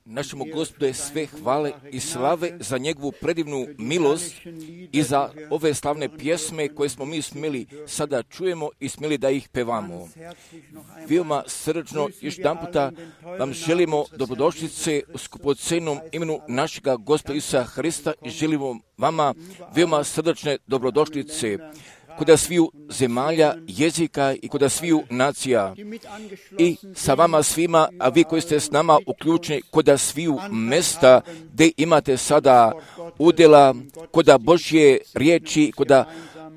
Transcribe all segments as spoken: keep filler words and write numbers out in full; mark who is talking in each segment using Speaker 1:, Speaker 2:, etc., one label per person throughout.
Speaker 1: Našemu Gospodu je sve hvale i slave za njegovu predivnu milost i za ove slavne pjesme koje smo mi smjeli sada čujemo i smjeli da ih pevamo. Veoma srdačno još jedan puta vam želimo dobrodošlice u skupocenom imenu našega Gospoda Isusa Hrista i želimo vama veoma srdačne dobrodošlice kod sviju zemalja, jezika i kod sviju nacija. I sa vama svima, a vi koji ste s nama uključeni kod sviju mesta gdje imate sada udjela kod Božje riječi, kod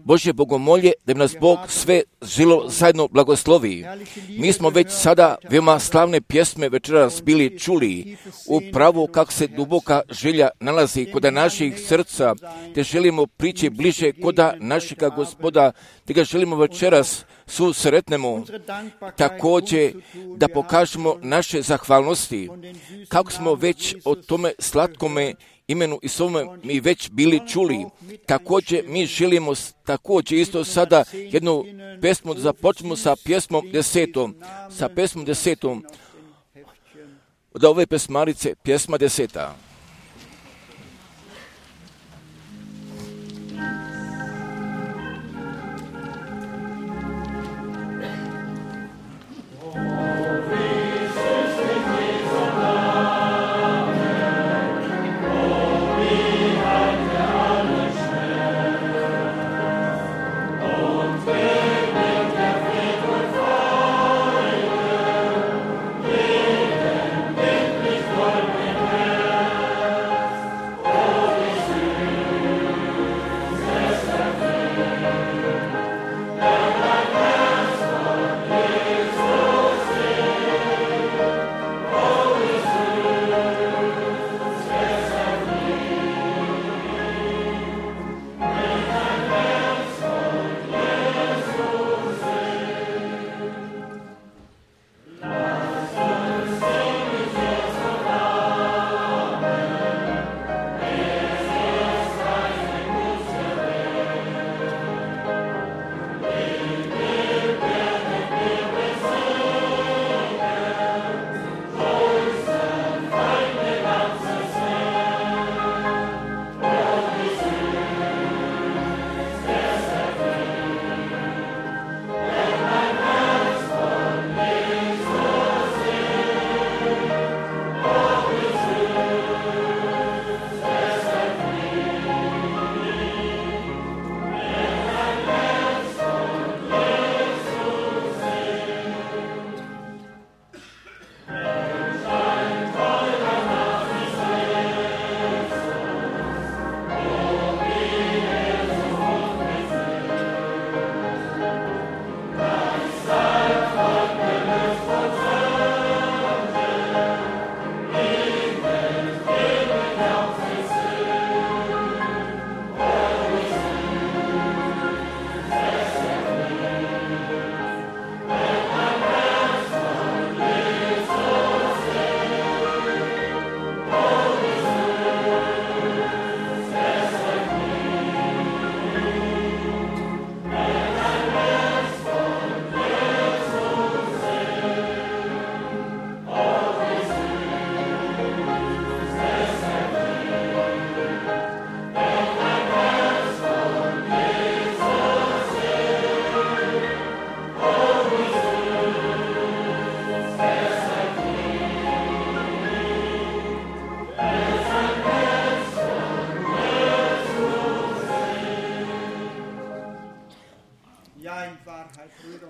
Speaker 1: Božje bogomolje, da bi nas Bog sve žilo zajedno blagoslovi. Mi smo već sada veoma slavne pjesme večeras bili čuli, upravo kako se duboka želja nalazi kod naših srca, te želimo prići bliže kod našega Gospoda, te ga želimo večeras susretnemo, također da pokažemo naše zahvalnosti, kako smo već o tome slatkome imenu i svome mi već bili čuli. Također mi želimo također isto sada jednu pesmu da započnemo sa pjesmom desetom, sa pesmom desetom, od ove pesmarice, pjesma deseta.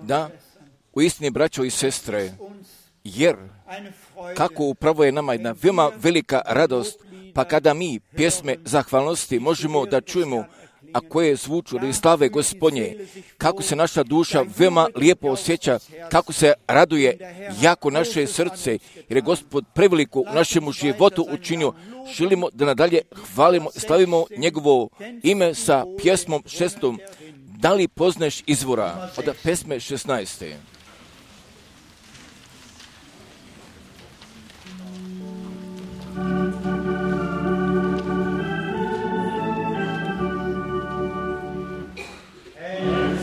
Speaker 1: Da, u istini, braćo i sestre, jer kako upravo je nama jedna veoma velika radost, pa kada mi pjesme zahvalnosti možemo da čujemo, a koje zvuču radi slave Gospodnje, kako se naša duša veoma lijepo osjeća, kako se raduje jako naše srce, jer je Gospod preveliko u našemu životu učinio. Želimo da nadalje hvalimo i slavimo njegovo ime sa pjesmom šestom. Da li poznaješ izvora? Od pesme šesnaeste.
Speaker 2: Hey,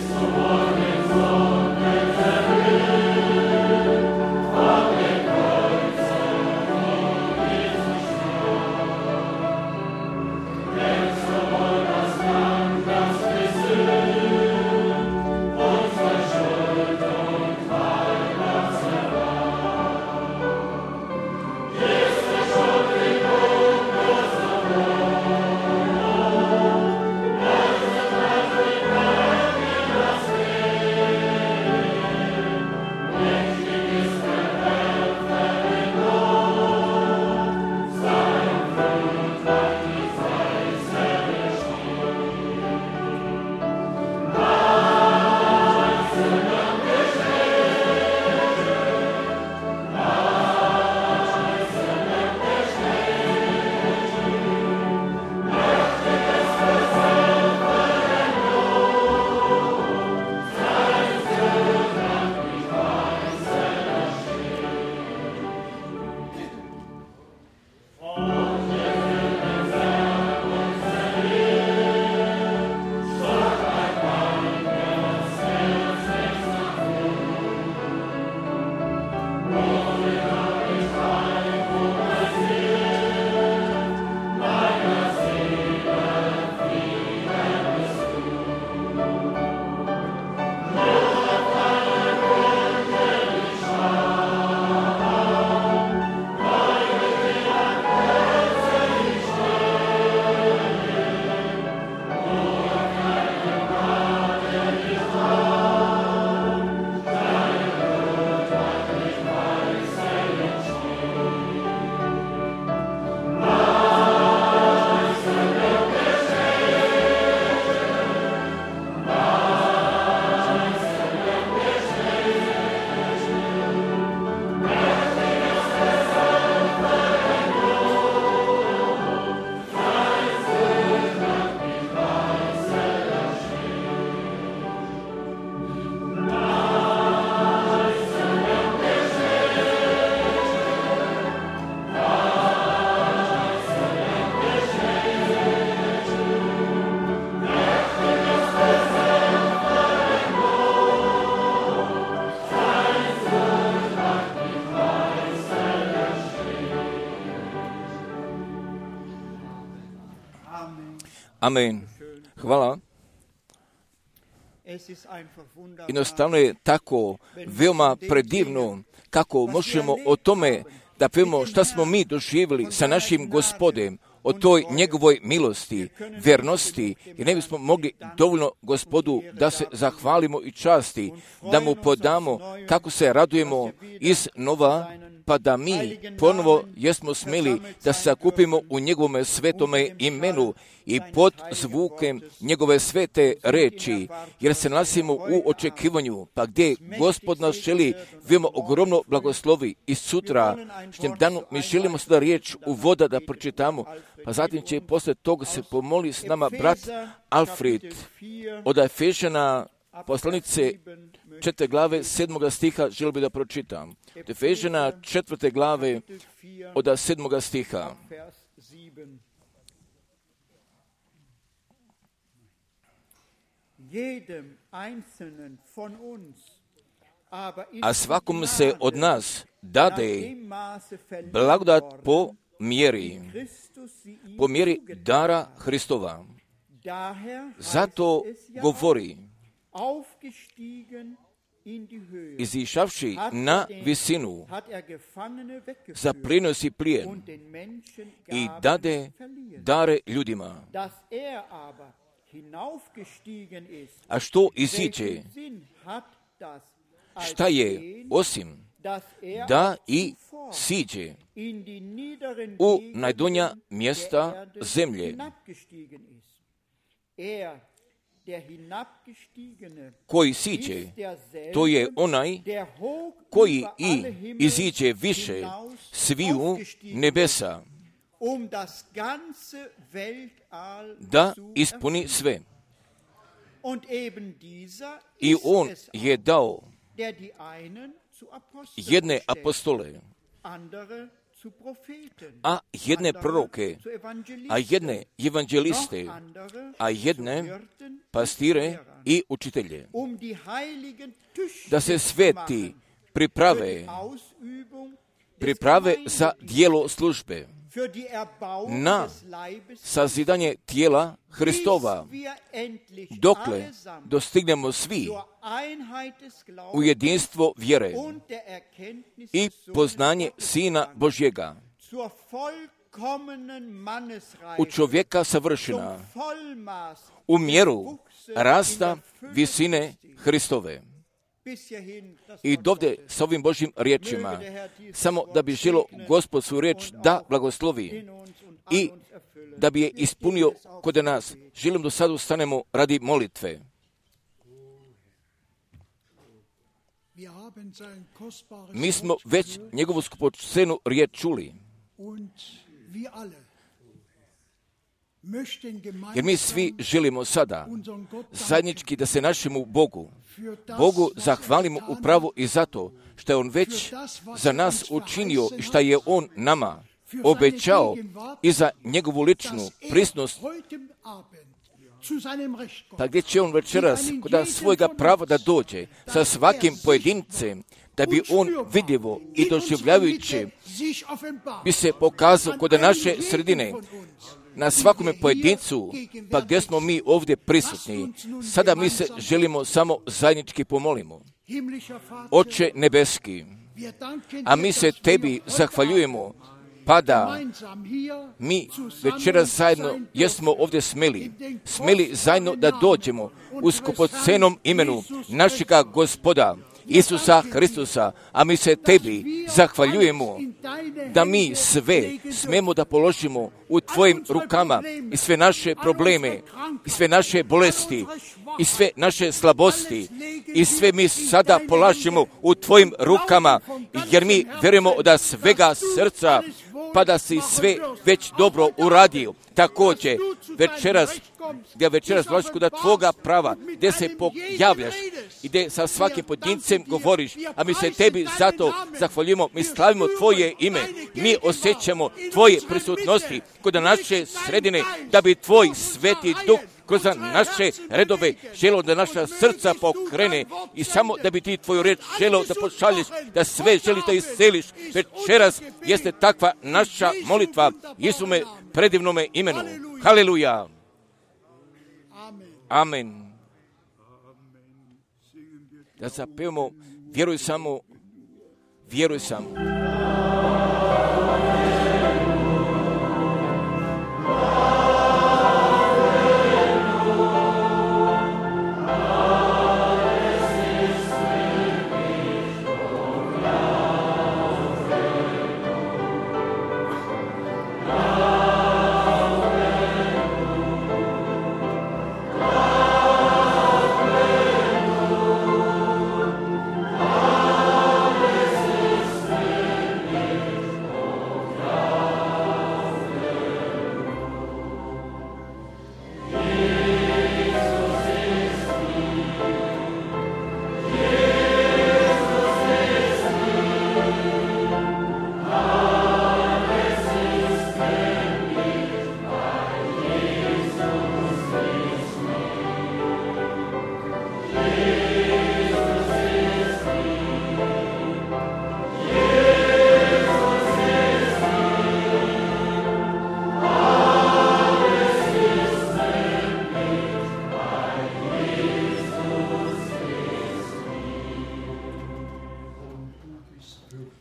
Speaker 1: Amen. Hvala. Jednostavno je tako veoma predivno kako možemo o tome da pevamo šta smo mi doživjeli sa našim Gospodem, o toj njegovoj milosti, vernosti, i ne bismo mogli dovoljno Gospodu da se zahvalimo i časti, da mu podamo kako se radujemo iz nova, pa da mi ponovo jesmo smeli da se sakupimo u njegovome svetome imenu i pod zvukem njegove svete reči, jer se nalazimo u očekivanju, pa gdje Gospod nas želi veoma ogromno blagoslovi. I sutra, štem danu, mi želimo sada riječ u voda da pročitamo, pa zatim će posle toga se pomoli s nama brat Alfred od Efežana, poslanice četvrte glave, sedmoga stiha, želio bi da pročitam. Od Efežana četvrte glave, od sedmoga stiha. A svakom se od nas dade blagodat po mjeri, po mjeri dara Hristova. Zato govori, izišavši na visinu, zaplenosi plijen i dade dare ljudima. A što iziđe? Šta je osim da i siđe u najdonja mjesta zemlje? Koji siđe, to je onaj koji i iziđe više sviju nebesa, da ispuni sve. I on je dao jedne apostole, a jedne proroke, a jedne evanđeliste, a jedne pastire i učitelje, da se sveti priprave, priprave za dijelo službe, na sazidanje tijela Hristova, dokle dostignemo svi u jedinstvo vjere i poznanje Sina Božjega, u čovjeka savršena, u mjeru rasta visine Hristove. I dovde s ovim Božjim riječima, samo da bi želo Gospod svoju riječ da blagoslovi i da bi je ispunio kod nas. Želim da sad ustanemo radi molitve. Mi smo već njegovu skupocenu riječ čuli. Jer mi svi želimo sada zajednički da se našemu Bogu, Bogu zahvalimo upravo i zato što je On već za nas učinio i što je On nama obećao i za njegovu ličnu prisutnost. Pa gdje će On večeras kod svojega prava da dođe sa svakim pojedincem, da bi On vidljivo i doživljavajući bi se pokazao kod naše sredine, na svakome pojedincu, pa gdje smo mi ovdje prisutni. Sada mi se želimo samo zajednički pomolimo. Oče nebeski, a mi se Tebi zahvaljujemo, pa da mi večeras zajedno jesmo ovdje smeli, smeli zajedno da dođemo u skupocenom imenu našega Gospoda Isusa Hristusa, a mi se Tebi zahvaljujemo da mi sve smemo da položimo u Tvojim rukama i sve naše probleme, i sve naše bolesti, i sve naše slabosti, i sve mi sada polažemo u Tvojim rukama, jer mi vjerujemo od svega srca, pa da si sve već dobro uradio. Također, večeras, gdje večeras dolaziš kod Tvoga prava, gdje se pojavljaš i gdje sa svakim pojedincem govoriš, a mi se Tebi zato zahvaljujemo, mi slavimo Tvoje ime, mi osjećamo Tvoje prisutnosti kod naše sredine, da bi Tvoj sveti duh kroz naše redove želo da naša srca pokrene i samo da bi Ti Tvoju reč želo da pošalješ, da sve želi da isceliš. Večeras jeste takva naša molitva Isume predivnome imenu. Haleluja! Amen. Da zapevamo, vjeruj samo, vjeruj samo.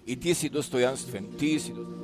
Speaker 1: I ti si dostojanstven, ti si dostojanstven.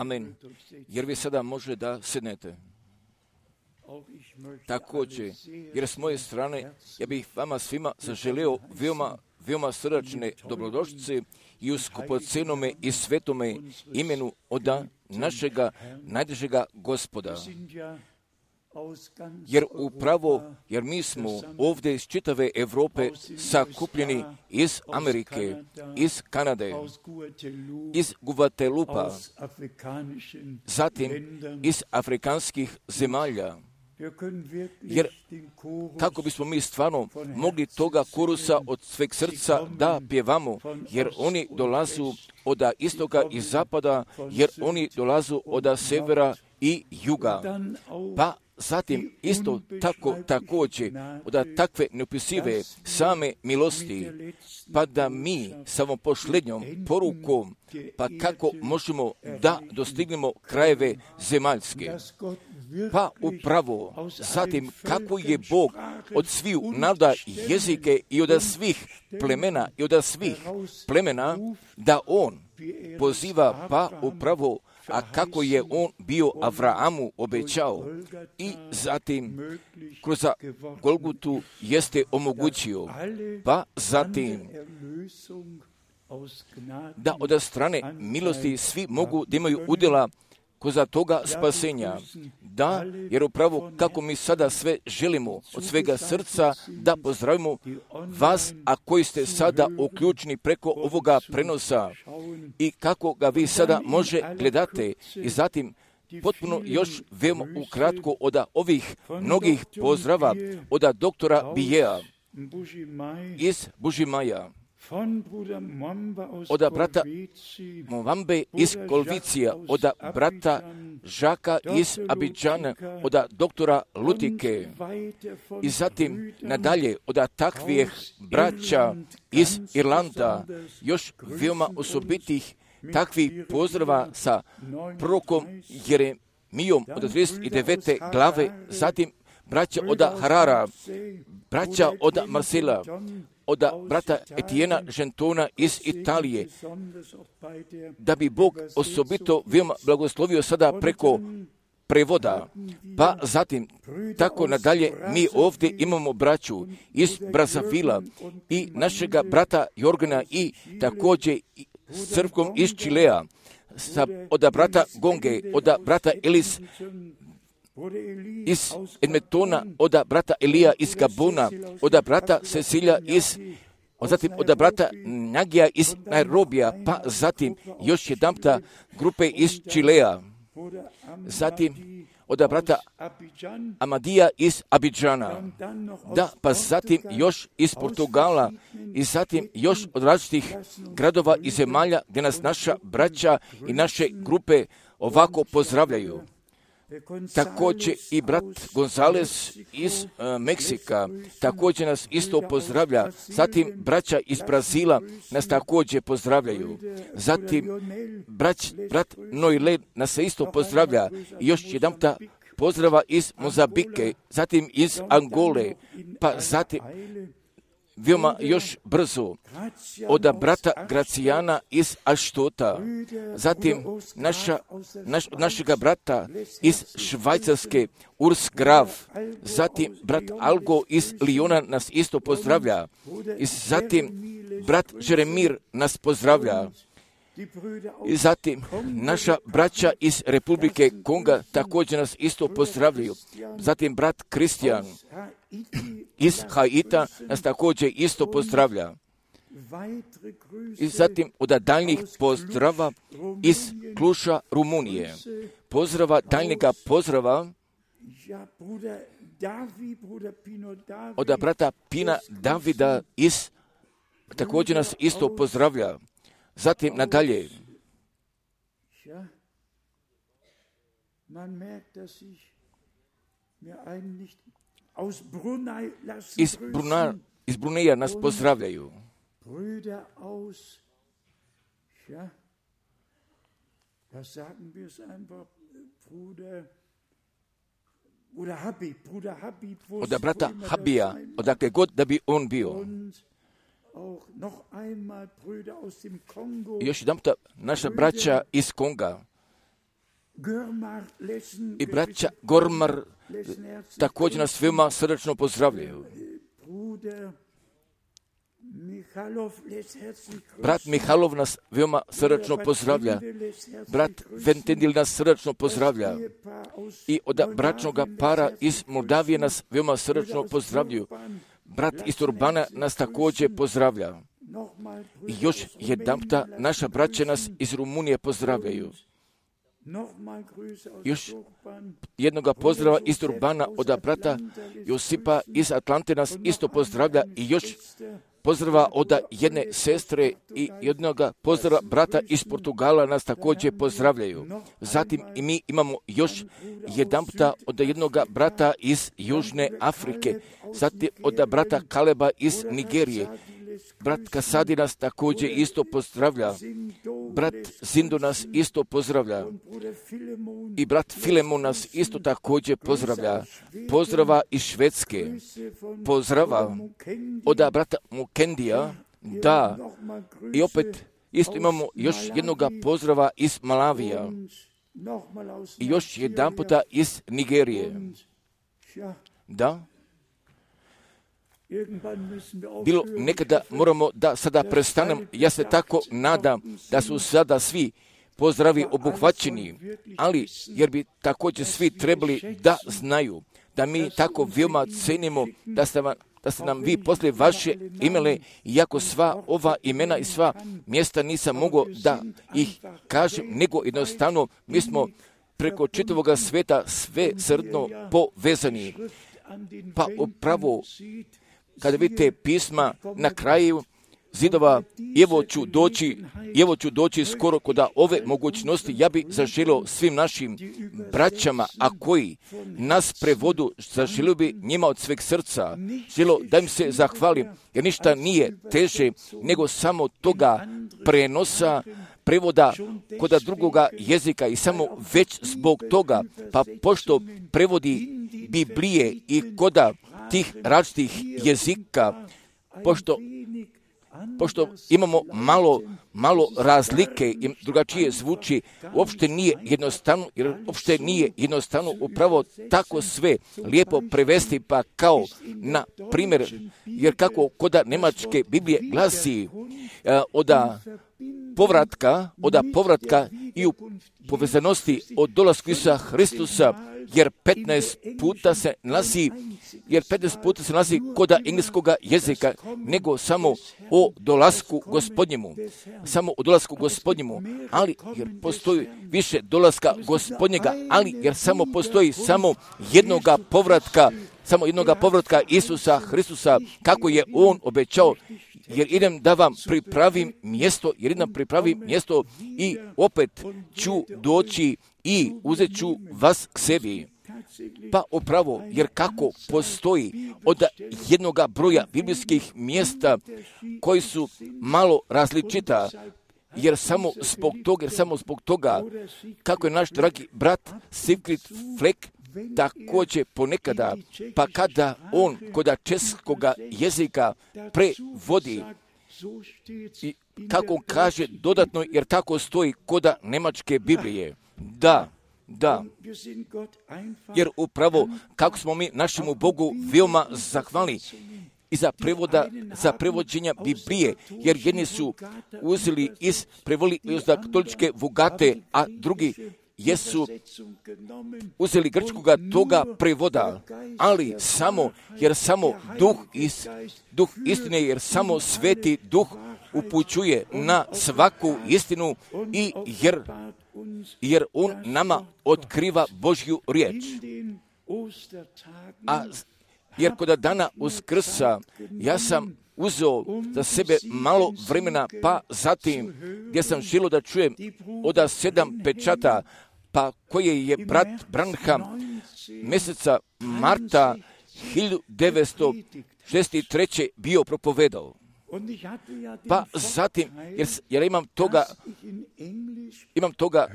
Speaker 1: Amen. Jer vi sada može da sednete. Također, jer s moje strane, ja bih vama svima zaželio veoma, veoma srdačne dobrodošlice i u skupocenome i svetome imenu oda našega najdražega Gospoda. Jer upravo, jer mi smo ovdje iz čitave Evrope sakupljeni iz Amerike, iz Kanade, iz Guatelupa, zatim iz afrikanskih zemalja. Jer kako bismo mi stvarno mogli toga korusa od sveg srca da pjevamo, jer oni dolazu od istoka i zapada, jer oni dolazu od severa i juga. Pa zatim isto tako također od takve neopisive same milosti, pa da mi samo posljednjom porukom, pa kako možemo da dostignemo krajeve zemaljske. Pa upravo zatim kako je Bog od svih naroda jezike i od svih plemena i od svih plemena da On poziva, pa upravo a kako je on bio Avrahamu obećao i zatim kroz Golgutu jeste omogućio, pa zatim da od strane milosti svi mogu da imaju udjela koza toga spasenja. Da, jer upravo kako mi sada sve želimo od svega srca da pozdravimo vas, a koji ste sada uključeni preko ovoga prenosa i kako ga vi sada može gledate i zatim potpuno još veoma ukratko od ovih mnogih pozdrava od doktora Bijeja iz Bužimaja, od brata Movambe iz Kolvicija, od brata Žaka iz Abidžana, od doktora Lutike i zatim nadalje od takvih braća iz Irlanda, još veoma osobitih takvih pozdrava sa prorokom Jeremijom od trideset devete glave, zatim braća od Harara, braća od Marsela, od brata Etijena Žentona iz Italije, da bi Bog osobito veoma blagoslovio sada preko prevoda. Pa zatim, tako nadalje, mi ovdje imamo braću iz Brazavila i našega brata Jorgana i također s crkvom iz Čilea, sa, od brata Gonge, od brata Elis iz Edmontona, od brata Elija iz Gabona, od brata Cecilija iz, zatim od brata Nagija iz Nairobija, pa zatim još jedanputa grupe iz Čilea, zatim od brata Amadija iz Abidžana, da, pa zatim još iz Portugala i zatim još od različitih gradova i zemalja gdje nas naša braća i naše grupe ovako pozdravljaju. Također i brat Gonzales iz uh, Meksika također nas isto pozdravlja. Zatim braća iz Brazila nas također pozdravljaju. Zatim brać, brat Noile nas se isto pozdravlja. I još jedanputa pozdrava iz Mozambike, zatim iz Angole, pa zatim veoma još brzo od brata Gracijana iz Aštota, zatim naša, naš, našega brata iz Švajcarske Urs Graf, zatim brat Algo iz Lijona nas isto pozdravlja i zatim brat Jeremir nas pozdravlja. I zatim naša braća iz Republike Konga također nas isto pozdravljaju. Zatim brat Kristijan iz Haita nas također isto pozdravlja. I zatim od daljnjih pozdrava iz Kluša, Rumunije. Pozdrava, daljnjega pozdrava od brata Pina Davida iz, također nas isto pozdravlja. Zatim nadalje. Iz, Bruna, iz Bruneja nas pozdravljaju. Od brata Habija, odakle god da bi on bio. I još jedan puta naša braća iz Konga i braća Gormar također nas veoma srdačno pozdravljaju. Brat Mihalov nas veoma srdačno pozdravlja. Brat Ventendil nas srdačno pozdravlja. I od bračnog para iz Moldavije nas veoma srdačno pozdravljaju. Brat iz Urbana nas također pozdravlja. I još jedanputa naša braća nas iz Rumunije pozdravljaju. Još jednoga pozdrava iz Urbana od brata Josipa iz Atlante nas isto pozdravlja i još pozdrava od jedne sestre i jednoga pozdrava brata iz Portugala nas također pozdravljaju. Zatim i mi imamo još jedanputa od jednoga brata iz Južne Afrike, zatim od brata Kaleba iz Nigerije. Brat Kasadi nas također isto pozdravlja. Brat Zindo nas isto pozdravlja. I brat Filemon nas isto također pozdravlja. Pozdrava iz Švedske. Pozdrava od brata Mukendija. Da. I opet isto imamo još jednoga pozdrava iz Malavija. I još jedan puta iz Nigerije. Da. Bilo nekada moramo da sada prestanem, ja se tako nadam da su sada svi pozdravi obuhvaćeni, ali jer bi također svi trebali da znaju da mi tako veoma cenimo da ste, vam, da ste nam vi poslije vaše imele, iako sva ova imena i sva mjesta nisam mogao da ih kažem, nego jednostavno mi smo preko čitavoga sveta sve srdno povezani. Pa upravo kada vidite pisma na kraju zidova, evo ću doći, evo ću doći skoro kod ove mogućnosti, ja bih zaželio svim našim braćama, a koji nas prevodu, zaželio bi njima od sveg srca, želio da im se zahvalim, jer ništa nije teže nego samo toga prenosa, prevoda kod drugoga jezika i samo već zbog toga, pa pošto prevodi Biblije i kod tih različitih jezika, pošto pošto imamo malo, malo razlike i drugačije zvuči, uopšte nije jednostavno, jer uopšte nije jednostavno upravo tako sve lijepo prevesti, pa kao na primjer, jer kako kod Nemačke Biblije glasi uh, oda povratka, oda povratka i u povezanosti od dolasku Isusa Hristusa, jer petnaest puta se nalazi, jer petnaest puta se nalazi kod engleskoga jezika, nego samo o dolasku Gospodnjemu, samo o dolasku Gospodnjemu, ali jer postoji više dolaska Gospodnjega, ali jer samo postoji samo jednoga povratka, samo jednoga povratka Isusa Hristusa, kako je On obećao, jer idem da vam pripravim mjesto, jer idem pripravim mjesto i opet ću doći i uzet ću vas k sebi. Pa upravo, jer kako postoji od jednoga broja biblijskih mjesta koji su malo različita, jer samo zbog toga, jer samo zbog toga, kako je naš dragi brat Siegfried Fleck također ponekada, pa kada on kod českoga jezika prevodi, i kako on kaže dodatno, jer tako stoji kod nemačke Biblije, da, da, jer upravo kako smo mi našemu Bogu veoma zahvalni i za prevoda, za prevođenja Biblije, jer jedni su uzeli iz, prevodili iz katoličke Vulgate, a drugi jesu uzeli grčkoga toga prevoda, ali samo, jer samo duh, is, duh istine, jer samo sveti duh upućuje na svaku istinu i jer, jer on nama otkriva Božju riječ. A jer kod dana Uskrsa ja sam uzeo za sebe malo vremena, pa zatim gdje sam želio da čujem od sedam pečata, pa koje je brat Branham mjeseca marta hiljadu devetsto šezdeset treće bio propovedao. Pa zatim, jer, jer imam toga, imam toga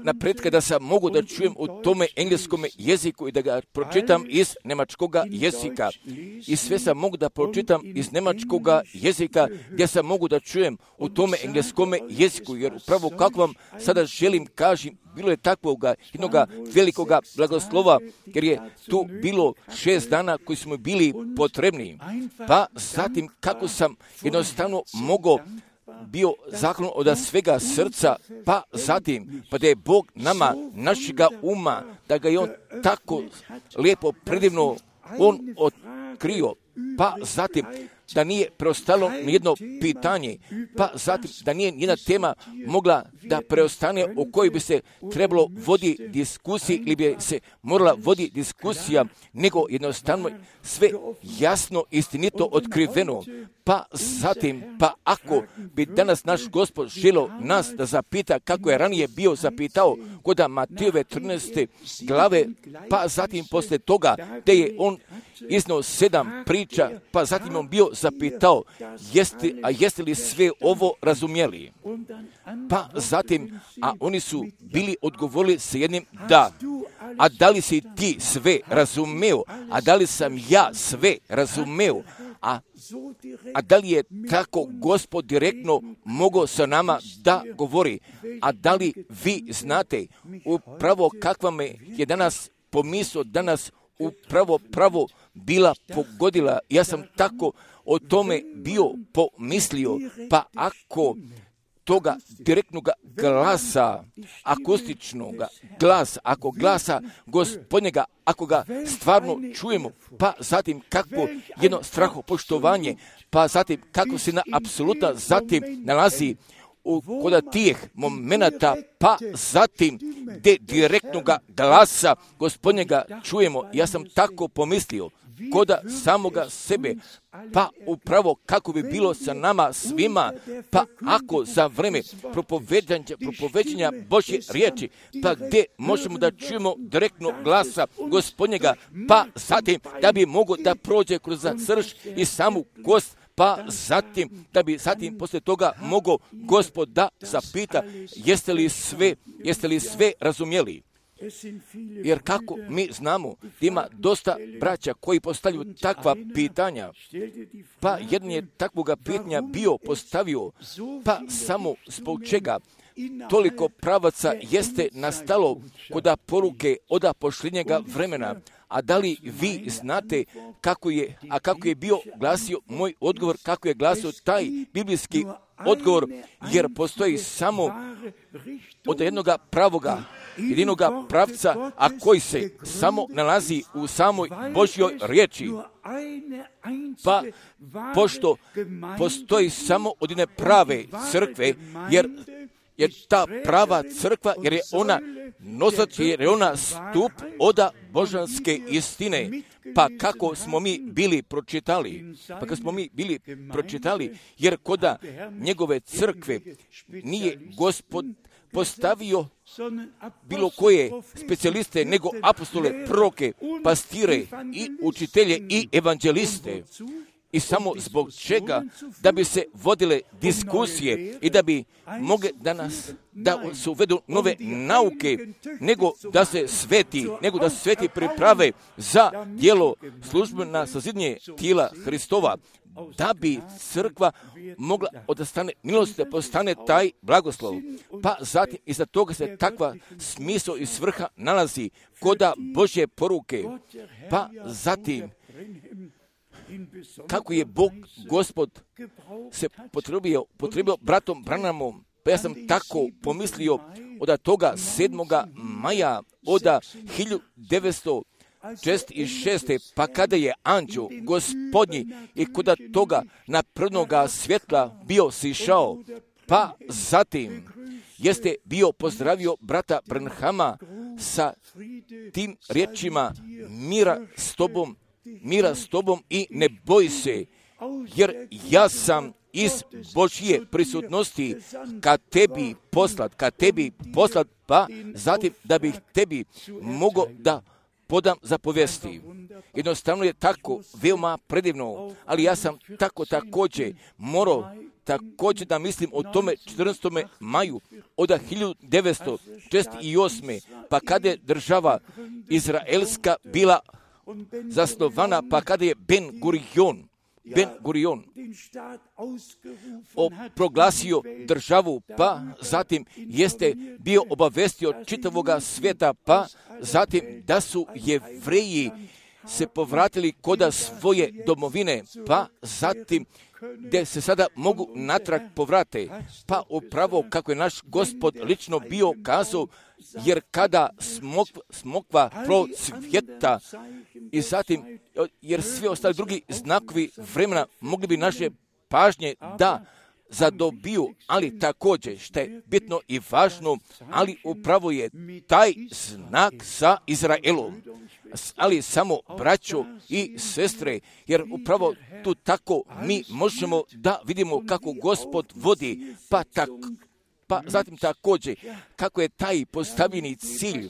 Speaker 1: napretka da sam mogu da čujem u tome engleskom jeziku i da ga pročitam iz nemačkoga jezika. I sve sam mogu da pročitam iz nemačkoga jezika gdje sam mogu da čujem u tome engleskom jeziku, jer upravo kako vam sada želim kažem, bilo je takvoga jednoga velikoga blagoslova, jer je tu bilo šest dana koji smo bili potrebni. Pa zatim kako sam jednostavno mogao bio zahvalan od svega srca, pa zatim, pa da je Bog nama, našega uma, da ga je On tako lijepo, predivno, On otkrio, pa zatim, da nije preostalo nijedno pitanje, pa zatim da nije nijedna tema mogla da preostane o kojoj bi se trebalo vodi diskusiji ili bi se morala vodi diskusija, nego jednostavno sve jasno, istinito otkriveno. Pa zatim, pa ako bi danas naš Gospod želio nas da zapita kako je ranije bio zapitao kod Matejove trinaeste glave, pa zatim posle toga gdje je on iznao sedam priča, pa zatim on bio zapitao, jeste, a jeste li sve ovo razumjeli? Pa zatim, a oni su bili odgovorili sa jednim da. A da li si ti sve razumeo? A da li sam ja sve razumeo? A, a da li je tako Gospod direktno mogao sa nama da govori? A da li vi znate upravo kakva me je danas pomisao, danas upravo pravo bila pogodila? Ja sam tako o tome bio pomislio, pa ako toga direktnog glasa, akustičnog glasa, ako glasa Gospodnjega, ako ga stvarno čujemo, pa zatim kakvo jedno strahopoštovanje, pa zatim kako se na apsoluta zatim nalazi u kod tih momenata, pa zatim gdje direktnog glasa Gospodnjega čujemo. Ja sam tako pomislio kod samoga sebe, pa upravo kako bi bilo sa nama svima, pa ako za vreme propoveđanja, propoveđanja Božje riječi, pa gdje možemo da čujemo direktno glasa Gospodnjega, pa zatim da bi mogo da prođe kroz srž i samu kost, pa zatim da bi zatim poslije toga mogao Gospod da zapita, jeste li sve, jeste li sve razumjeli? Jer kako mi znamo da ima dosta braća koji postavljaju takva pitanja, pa jedan je takvoga pitanja bio postavio, pa samo zbog čega toliko pravaca jeste nastalo koda poruke od posljednjega vremena. A da li vi znate kako je, a kako je bio glasio moj odgovor, kako je glasio taj biblijski odgovor, jer postoji samo od jednoga pravoga, jedinoga pravca, a koji se samo nalazi u samoj Božjoj riječi. Pa, pošto postoji samo od jedne prave crkve, jer jer ta prava crkva, jer je ona nosač, jer je ona stup oda božanske istine. Pa kako smo mi bili pročitali, pa kako smo mi bili pročitali, jer koda njegove crkve nije Gospod postavio bilo koje specijaliste, nego apostole, proroke, pastire i učitelje i evanđeliste. I samo zbog čega? Da bi se vodile diskusije i da bi mogle danas da se uvedu nove nauke, nego da se sveti, nego da se sveti priprave za djelo službena sazidnje tijela Hristova, da bi crkva mogla odastane milost da postane taj blagoslov. Pa zatim iza toga se takva smisao i svrha nalazi koda Božje poruke. Pa zatim kako je Bog, Gospod, se potrebio, potrebio bratom Branhamom, pa ja sam tako pomislio od toga sedmoga maja od hiljadu devetsto četrdeset šeste. pa kada je anđeo Gospodnji i kod toga naprednoga svjetla bio sišao, pa zatim jeste bio pozdravio brata Branhama sa tim riječima: mira s tobom, mira s tobom i ne boj se, jer ja sam iz Božje prisutnosti ka tebi poslat, ka tebi poslat, pa zatim da bih tebi mogao da podam zapovesti. Jednostavno je tako veoma predivno, ali ja sam tako također morao također da mislim o tome četrnaestom maju od hiljadu devetsto četrdeset osme. pa kada je država izraelska bila zasnovana, pa kada je Ben Gurion, Ben Gurion proglasio državu, pa zatim jeste bio obavestio čitavoga svijeta, pa zatim da su Jevreji se povratili koda svoje domovine, pa zatim gdje se sada mogu natrag povrate, pa upravo kako je naš Gospod lično bio kazao, jer kada smokva, smokva procvjeta i zatim, jer svi ostali drugi znakovi vremena mogli bi naše pažnje da zadobiju, ali također, što je bitno i važno, ali upravo je taj znak sa Izraelom. Ali samo braćo i sestre, jer upravo tu tako mi možemo da vidimo kako Gospod vodi, pa tako. Pa zatim također, kako je taj postavljeni cilj,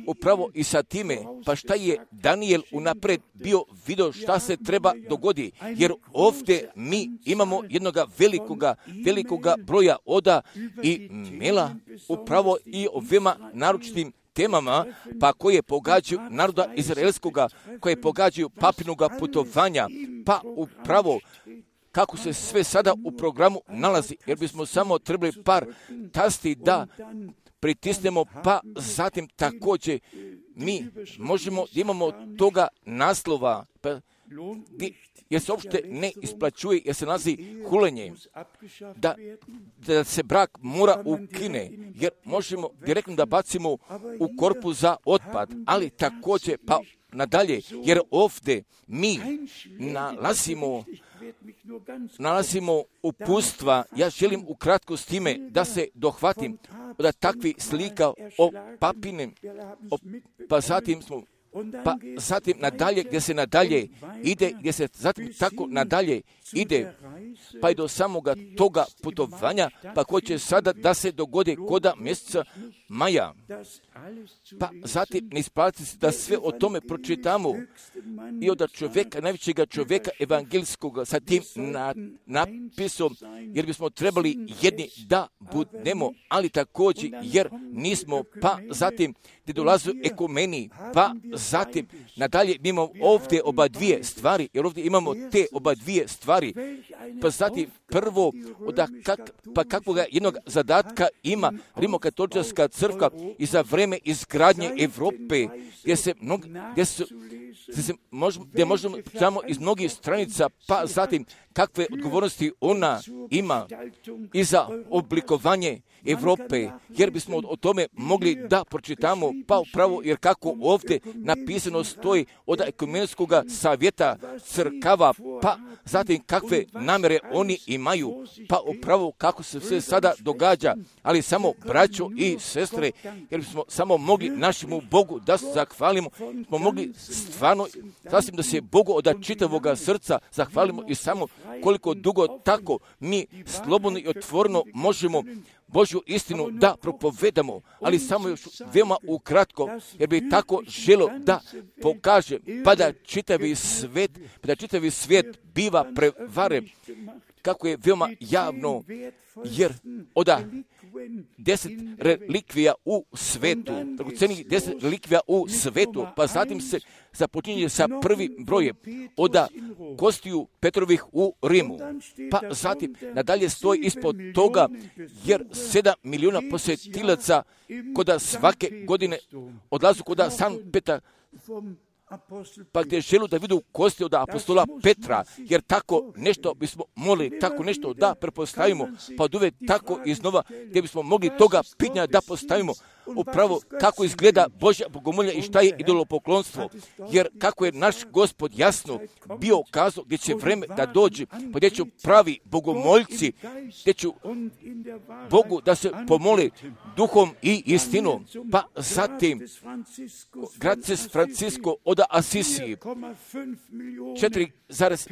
Speaker 1: upravo i sa time, pa šta je Daniel unapred bio vidio šta se treba dogodi, jer ovdje mi imamo jednoga velikoga, velikoga broja oda i mela, upravo i o veoma naročitim temama, pa koje pogađaju naroda izraelskoga, koje pogađaju papinoga putovanja, pa upravo kako se sve sada u programu nalazi, jer bismo samo trebali par tasti da pritisnemo, pa zatim također mi možemo da imamo toga naslova, pa, jer se uopšte ne isplaćuje, jer se nalazi hulenje, da, da se brak mora ukine, jer možemo direktno da bacimo u korpu za otpad, ali također pa nadalje, jer ovdje mi nalazimo nalazimo upustva. Ja želim ukratko s time da se dohvatim da takvi slika o papinem, o, pa zatim smo pa zatim nadalje, gdje se nadalje ide, gdje se zatim tako nadalje ide, pa i do samoga toga putovanja, pa ko će sada da se dogodi koda mjeseca maja. Pa zatim ne isplati se da sve o tome pročitamo i od čovjeka, najvećega čovjeka evangelskog sa tim na, napisom, jer bismo trebali jedni da budemo, ali također jer nismo, pa zatim gdje dolazu ekumeni, pa zatim nadalje imamo ovdje oba dvije stvari, jer ovdje imamo te oba dvije stvari, pa zatim prvo, da kak, pa kakvoga jednog zadatka ima Rimokatolička crkva i za vreme izgradnje Europe, gdje se mnog, gdje se, gdje se možemo, gdje možemo samo iz mnogih stranica, pa zatim kakve odgovornosti ona ima i za oblikovanje Europe, jer bismo o tome mogli da pročitamo, pa upravo jer kako ovdje napisano stoji od ekumenskog savjeta crkava, pa zatim kakve namjere oni imaju, pa upravo kako se sve sada događa, ali samo braćo i sestre, jer bismo samo mogli našemu Bogu da se zahvalimo, smo mogli stvarno, sasvim da se Bogu od čitavoga srca zahvalimo i samo koliko dugo tako mi slobodno i otvoreno možemo Božju istinu da propovedamo, ali samo još veoma ukratko, jer bi tako želo da pokaže, pa da čitavi svijet, pa da čitavi svijet biva prevaren, kako je veoma javno, jer oda deset relikvija u svetu, dragocenih deset relikvija u svetu, pa zatim se započinje sa prvim brojem oda kostiju Petrovih u Rimu, pa zatim nadalje stoji ispod toga, jer sedam milijuna posjetilaca koda svake godine odlazu koda San Petar, pa gdje želu da vidu kosti od apostola Petra, jer tako nešto bismo mogli, tako nešto da prepostavimo, pa od uvijek tako iznova, gdje bismo mogli toga pitanja da postavimo, upravo kako izgleda Božja bogomolja i šta je idolopoklonstvo, jer kako je naš Gospod jasno bio kazao gdje će vreme da dođe, pa gdje će pravi bogomoljci, gdje će Bogu da se pomoli duhom i istinom, pa zatim Graces Francisco od Asisiji, četiri zarez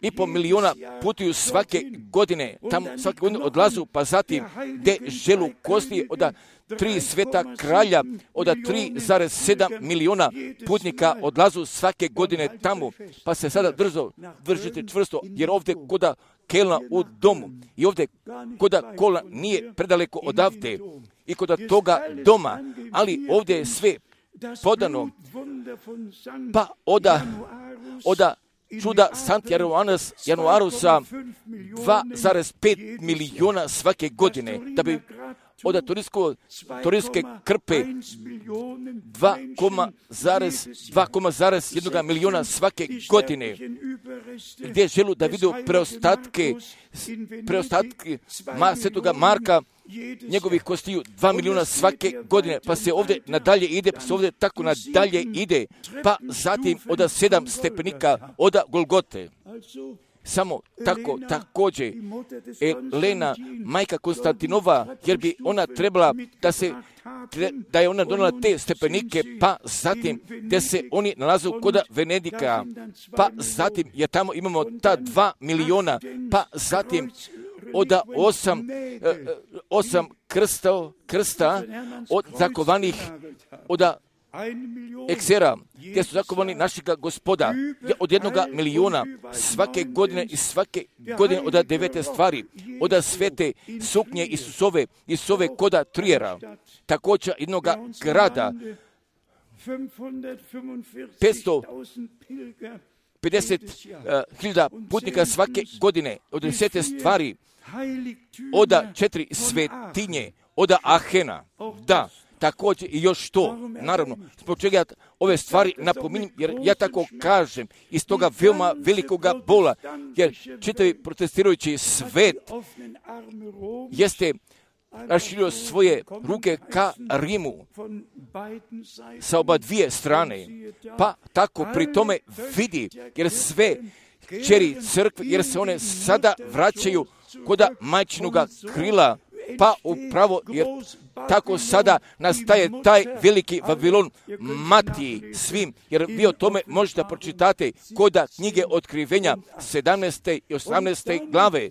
Speaker 1: pet milijuna putuju svake godine, tamo svake godine odlazu, pa zatim gdje želu kosti od tri sveta kralja, od tri zarez sedam milijuna putnika odlazu svake godine tamo, pa se sada drzo, držite čvrsto, jer ovdje koda Kelna u domu i ovdje koda Kola nije predaleko odavde i koda toga doma, ali ovdje je sve podano, pa oda, oda čuda Sant Januarus, Januarusa dva zarez pet milijuna svake godine, da bi od turijske krpe dva zarez jedan milijuna svake godine, gdje želu da vidu preostatke, preostatke ma, svetoga Marka, njegovih kostiju dva milijuna svake godine, pa se ovdje nadalje ide, pa se ovdje tako nadalje ide, pa zatim od sedam stepenika od Golgote. Samo tako, također, Elena, majka Konstantinova, jer bi ona trebala da se, da je ona donala te stepenike, pa zatim, gdje se oni nalazu kod Venedika, pa zatim, jer tamo imamo ta dva milijuna, pa zatim, od osam, osam krsta, krsta od zakovanih, od eksera, gdje su zakovani našega Gospoda, od jednoga milijuna svake godine i svake godine od devete stvari, od svete suknje Isusove, Isusove koda Trijera, također jednoga grada, petsto pedeset hiljada putnika svake godine, od desete stvari, od četiri svetinje, od Ahena, da, također i još to, naravno, zbog čega ja ove stvari napominjem, jer ja tako kažem, iz toga veoma velikoga bola, jer čitavi protestirajući svet jeste raširio svoje ruke ka Rimu sa oba dvije strane, pa tako pri tome vidi, jer sve kćeri crkve, jer se one sada vraćaju koda majčinoga krila, pa upravo jer tako sada nastaje taj veliki Vavilon mati svim, jer vi o tome možete pročitati koda knjige Otkrivenja sedamnaeste i osamnaeste glave,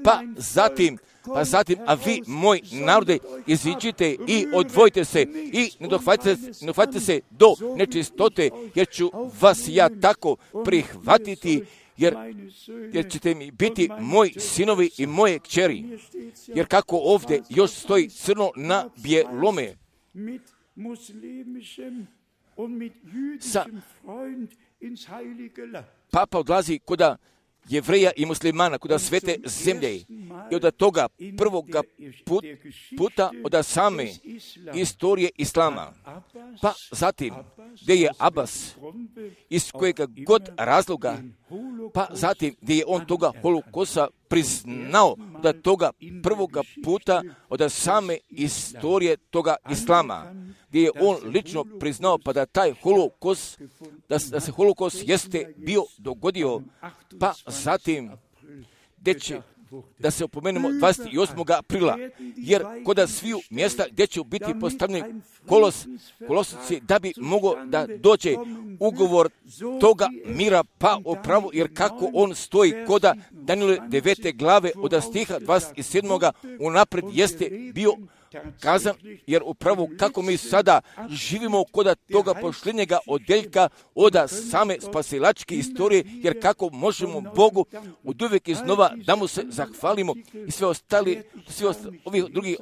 Speaker 1: pa zatim pa zatim, a vi, moj narode, iziđite i odvojite se i ne dohvatite, ne dohvatite se do nečistote, jer ću vas ja tako prihvatiti, jer, jer ćete mi biti moji sinovi i moje kćeri. Jer kako ovdje još stoji crno na bijelome, sa Papa odlazi koda Jevreja i muslimana, koda svete zemlje, i od toga prvoga put, puta od same istorije Islama. Pa zatim, gdje je Abbas, iz kojega god razloga, pa zatim gdje je on toga holokosa priznao od toga prvoga puta od same istorije toga Islama, gdje je on lično priznao pa da taj holokos, da, da se holokos jeste bio dogodio, pa zatim gdje će da se opomenemo dvadeset osmog aprila, jer koda sviju mjesta gdje će biti postavljeni kolos, kolosnici, da bi mogao da dođe ugovor toga mira, pa opravo, jer kako on stoji koda Danijele devete glave od stiha dvadeset sedmog unaprijed jeste bio kazan, jer upravo kako mi sada živimo koda toga pošljenjega odeljka od same spasilačke istorije, jer kako možemo Bogu od uvijek iznova da mu se zahvalimo i sve ostali, sve ostali, ovih drugih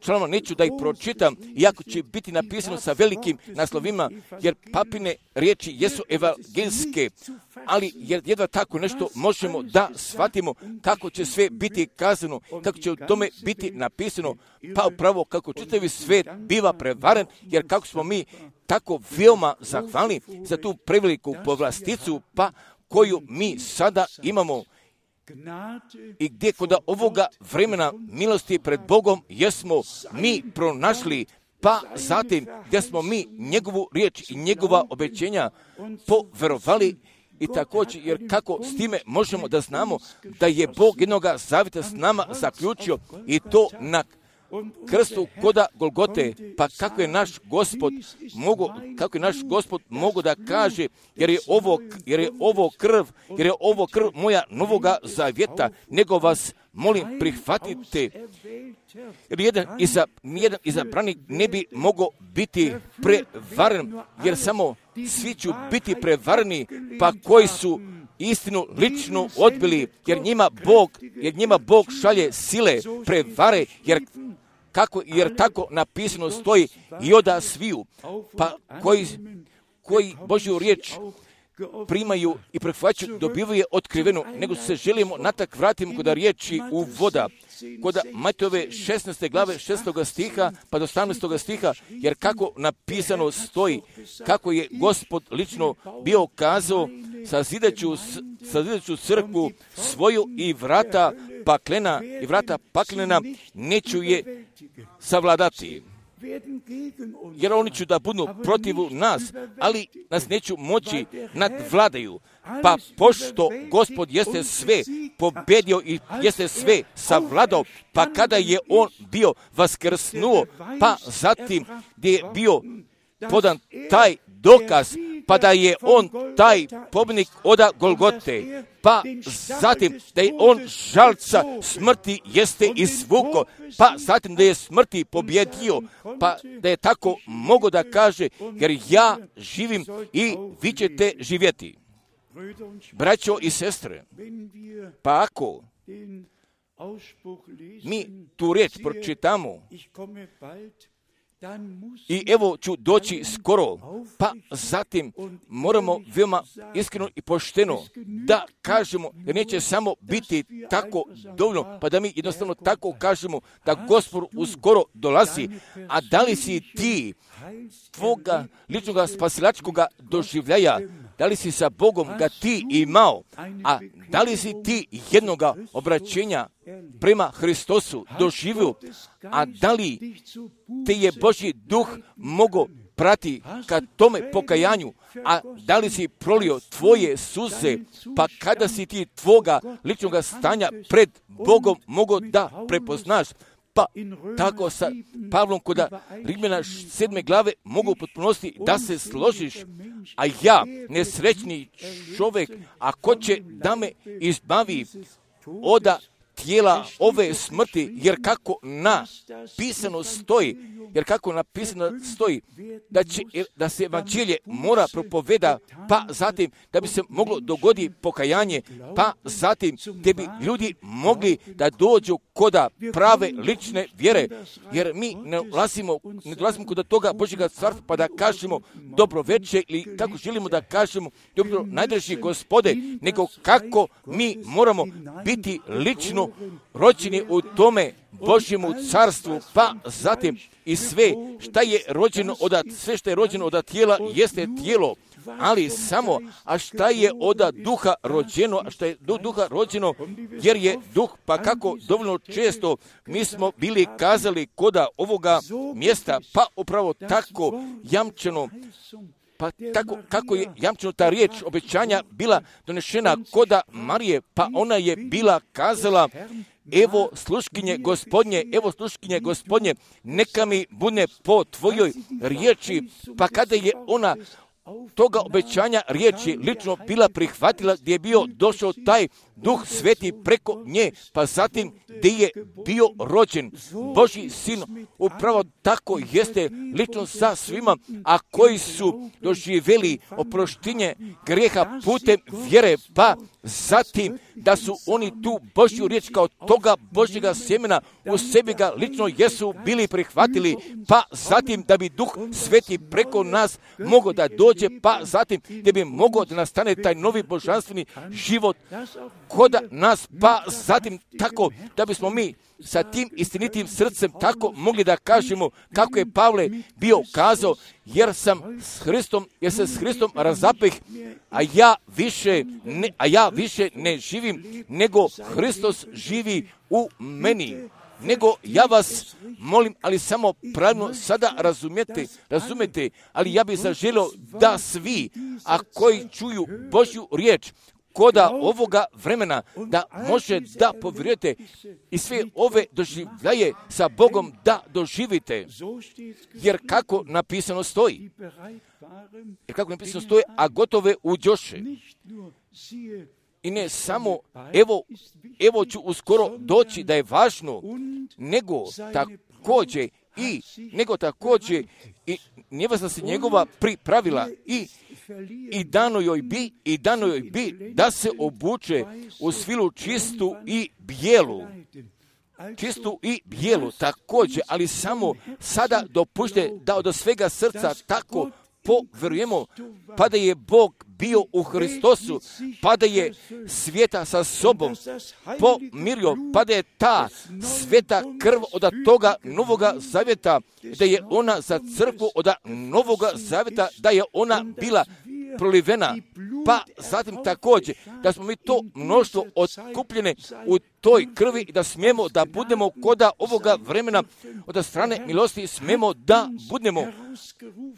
Speaker 1: članova neću da ih pročitam, iako će biti napisano sa velikim naslovima, jer papine riječi jesu evangelske, ali jer jedva tako nešto možemo da shvatimo kako će sve biti kazano, kako će u tome biti napisano, pa upravo kako čitavi svijet biva prevaren, jer kako smo mi tako veoma zahvalni za tu preveliku povlasticu, pa koju mi sada imamo i gdje kod ovoga vremena milosti pred Bogom jesmo mi pronašli, pa zatim gdje smo mi njegovu riječ i njegova obećenja poverovali. I također, jer kako s time možemo da znamo da je Bog jednoga zavjeta s nama zaključio i to na krstu koda Golgote, pa kako je naš Gospod mogu, kako je naš Gospod mogu da kaže, jer je ovo, jer je ovo krv, jer je ovo krv moja novoga zavjeta, nego vas molim prihvatite. Jer jedan iza, nijedan izabranik ne bi mogao biti prevaren, jer samo svi će biti prevareni, pa koji su istinu lično odbili, jer njima Bog, jer njima Bog šalje sile prevare, jer kako, jer tako napisano stoji i oda sviju, pa koji, koji Božju riječ primaju i prihvaćaju, dobivaju otkrivenu, nego se želimo natak vratimo kod riječi u voda, kod Matejove šesnaeste glave šestog stiha pa do osamnaestog stiha, jer kako napisano stoji, kako je Gospod lično bio kazao, sazidaću, sazidaću crkvu svoju i vrata paklena i vrata paklena neću je savladati. Jer oni će da budu protiv nas, ali nas neću moći nadvladaju. Pa pošto Gospod jeste sve pobedio i jeste sve savladao, pa kada je on bio vaskrsnuo, pa zatim gdje je bio podan taj dokaz, pa da je on taj pobjednik oda Golgote, pa zatim da je on žalca smrti jeste izvuko, pa zatim da je smrti pobjedio, pa da je tako mogo da kaže, jer ja živim i vi ćete živjeti. Braćo i sestre, pa ako mi tu riječ pročitamo, i evo ću doći skoro, pa zatim moramo veoma iskreno i pošteno da kažemo, jer neće samo biti tako dovoljno, pa da mi jednostavno tako kažemo da Gospod uskoro dolazi, a da li si ti tvoga ličnog spasilačkog doživljaja, da li si sa Bogom ga ti imao, a da li si ti jednoga obraćenja prema Hristosu doživio, a da li te je Božji duh mogo prati ka tome pokajanju, a da li si prolio tvoje suze, pa kada si ti tvoga ličnog stanja pred Bogom mogo da prepoznaš, pa tako sa Pavlom kod Rimljana sedme glave mogu potpunosti da se složiš, a ja, nesrećni čovjek, a ko će da me izbavi oda tijela ove smrti, jer kako napisano stoji, jer kako napisano stoji, da, će, da se evanđelje mora propoveda, pa zatim da bi se moglo dogoditi pokajanje, pa zatim da bi ljudi mogli da dođu koda prave lične vjere, jer mi ne dolazimo, ne dolazimo kod toga Božjega carstva pa da kažemo dobro večer ili kako želimo da kažemo dobro najdraži Gospode, nego kako mi moramo biti lično rođeni u tome Božjemu carstvu, pa zatim i sve šta je rođeno od sve što je rođeno od tijela jeste tijelo, ali samo, a šta je od duha rođeno, a šta je do duha rođeno, jer je duh, pa kako dovoljno često mi smo bili kazali koda ovoga mjesta, pa upravo tako jamčeno, pa tako kako je jamčeno ta riječ obećanja bila donešena koda Marije, pa ona je bila kazala, evo sluškinje Gospodnje, evo sluškinje Gospodnje, neka mi bude po tvojoj riječi, pa kada je ona toga obećanja riječi lično bila prihvatila, gdje je bio došao taj Duh Sveti preko nje, pa zatim gdje je bio rođen Božji sin, upravo tako jeste lično sa svima, a koji su doživjeli oproštenje grijeha putem vjere, pa zatim da su oni tu Božju riječ kao toga Božjega sjemena u sebi ga lično jesu bili prihvatili, pa zatim da bi Duh Sveti preko nas mogao da dođe, pa zatim da bi mogao da nastane taj novi božanstveni život koda nas, pa zatim tako da bismo mi sa tim istinitim srcem tako mogli da kažemo kako je Pavle bio kazao, jer sam s Hristom, jer se s Hristom razapeh, a ja više ne, a ja više ne živim, nego Hristos živi u meni. Nego ja vas molim, ali samo pravilno sada razumijete, razumijete, ali ja bih zaželio da svi, a koji čuju Božju riječ, koda ovoga vremena, da može da povjerujete i sve ove doživljaje sa Bogom da doživite. Jer kako napisano stoji, jer kako napisano stoji, a gotove uđoše. I ne samo, evo, evo ću uskoro doći, da je važno, nego također i, nego također i njevasta se njegova pripravila i i dano joj bi, i dano joj bi da se obuče u svilu čistu i bijelu. Čistu i bijelu također, ali samo sada dopušte da od svega srca tako povjerujemo, pa da je Bog bio u Hristosu, pa da je svijeta sa sobom pomirio, pa da je ta sveta krv od toga novoga zavjeta, da je ona za crkvu od novoga zavjeta, da je ona bila prolivena, pa zatim također da smo mi to mnoštvo otkupljene u toj krvi i da smijemo da budemo koda ovoga vremena od strane milosti smijemo da budemo,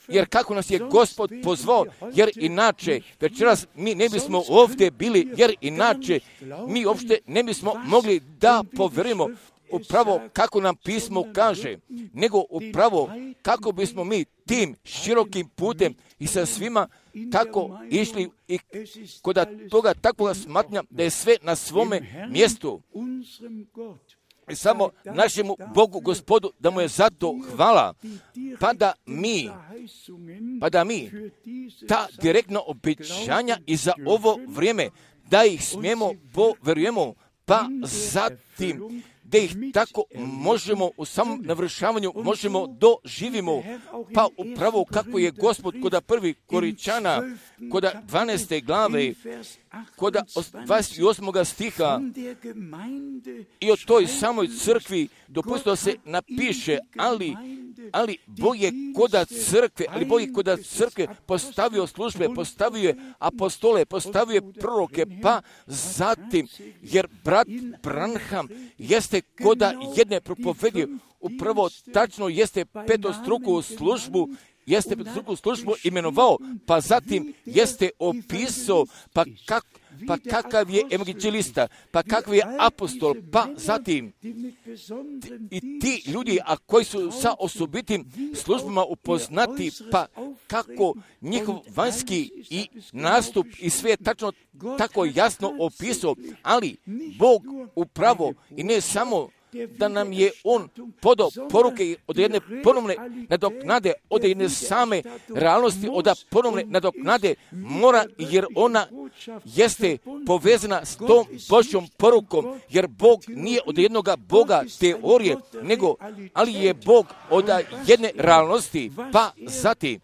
Speaker 1: jer kako nas je Gospod pozvao, jer inače večeras mi ne bismo ovdje bili, jer inače mi uopšte ne bismo mogli da povjerujemo upravo kako nam pismo kaže, nego upravo kako bismo mi tim širokim putem i sa svima tako išli i kod toga takvoga smatranja da je sve na svome mjestu. I samo našemu Bogu Gospodu da mu je zato hvala, pa da mi, pa da mi ta direktna obećanja i za ovo vrijeme da ih smijemo povjerujemo, pa zatim da ih tako možemo u samom navršavanju možemo doživimo, pa upravo kako je Gospod koda prvi Koričana, koda dvanaeste glave, koda dvadeset osmog stiha i o toj samoj crkvi dopustilo se napiše, ali ali Bog je koda crkve, ali Bog je koda crkve postavio službe, postavio je apostole, postavio je proroke, pa zatim, jer brat Branham jeste koda jedne propovedije, upravo tačno jeste petostruku službu jeste drugu službu imenovao, pa zatim jeste opisao, pa, kak, pa kakav je evangelista, pa kakav je apostol, pa zatim i ti ljudi, a koji su sa osobitim službama upoznati, pa kako njihov vanjski i nastup i sve je tačno tako jasno opisao, ali Bog upravo i ne samo da nam je On podao poruke od jedne ponovne nadoknade, od jedne same realnosti, od ponovne nadoknade mora, jer ona jeste povezana s tom Božjom porukom, jer Bog nije od jednoga Boga teorije, nego, ali je Bog od jedne realnosti, pa zatim,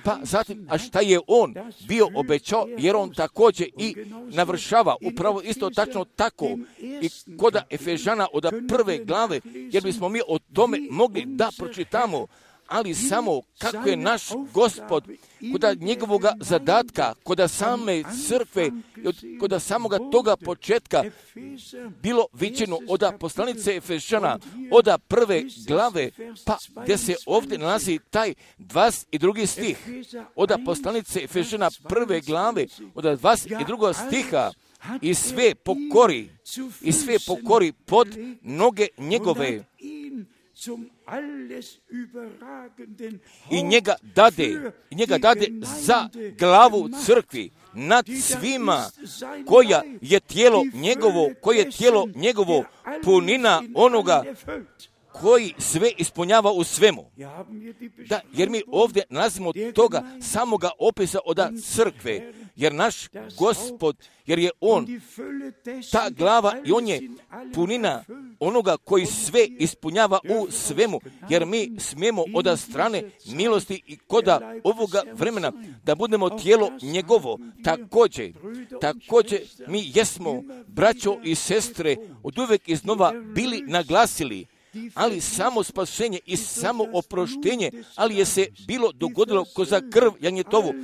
Speaker 1: pa zatim, a šta je On bio obećao, jer On također i navršava, upravo isto tačno tako, i kod Efežana od prve glave, jer bismo mi o tome mogli da pročitamo, ali samo kako je naš Gospod kod njegovog zadatka, kod same crkve, kod samoga toga početka bilo viđeno od poslanice Efežana, od prve glave, pa gdje se ovdje nalazi taj dvadeset drugi stih, od poslanice Efežana prve glave, od dvadeset drugog stiha, i sve pokori, i sve pokori pod noge njegove, i njega dade, i njega dade za glavu crkvi nad svima, koja je tijelo njegovo, koje je tijelo njegovo, punina onoga koji sve ispunjava u svemu. Da, jer mi ovdje nalazimo toga samoga opisa od crkve, jer naš Gospod, jer je On ta glava i On je punina onoga koji sve ispunjava u svemu, jer mi smijemo od strane milosti i koda ovoga vremena da budemo tijelo njegovo. Također, također mi jesmo, braćo i sestre, od uvijek iznova bili naglasili, ali samo spasenje i samo oproštenje, ali je se bilo dogodilo ko za krv janjetovu,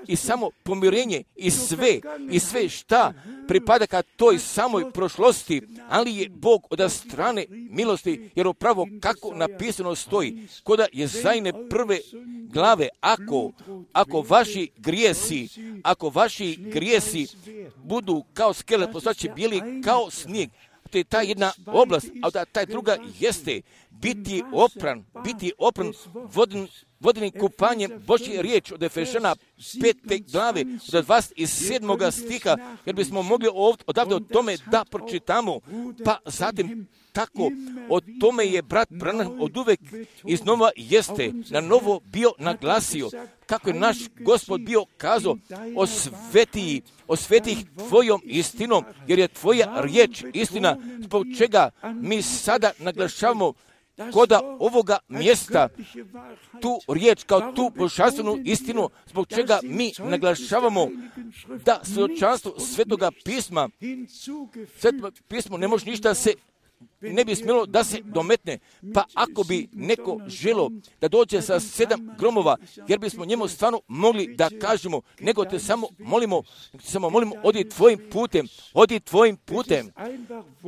Speaker 1: i samo pomirenje i sve, i sve šta pripada ka toj samoj prošlosti, ali je Bog od strane milosti, jer upravo kako napisano stoji, koda je Jezajine prve glave, ako, ako vaši grijesi, ako vaši grijesi budu kao skele, postaće bijeli kao snijeg. To je ta jedna oblast, a da taj druga jeste biti opran, biti opran vodin, vodenim kupanjem Božje riječ od Efežana pete glave, od dvadeset sedmog stiha, jer bismo mogli ovdje, odavde o tome da pročitamo, pa zatim tako, o tome je brat Branham od uvek iznova jeste na novo bio naglasio, kako je naš Gospod bio kazao, osveti, osveti ih tvojom istinom, jer je tvoja riječ istina, zbog čega mi sada naglašavamo koda ovoga mjesta tu riječ kao tu božanstvenu istinu, zbog čega mi naglašavamo da svjedočanstvo Svetoga pisma, Sveto pismo ne može ništa se ne bi smjelo da se dometne, pa ako bi neko želo da dođe sa sedam gromova, jer bismo njemu stvarno mogli da kažemo, nego te samo molimo, samo molimo, odi tvojim putem, odi tvojim putem.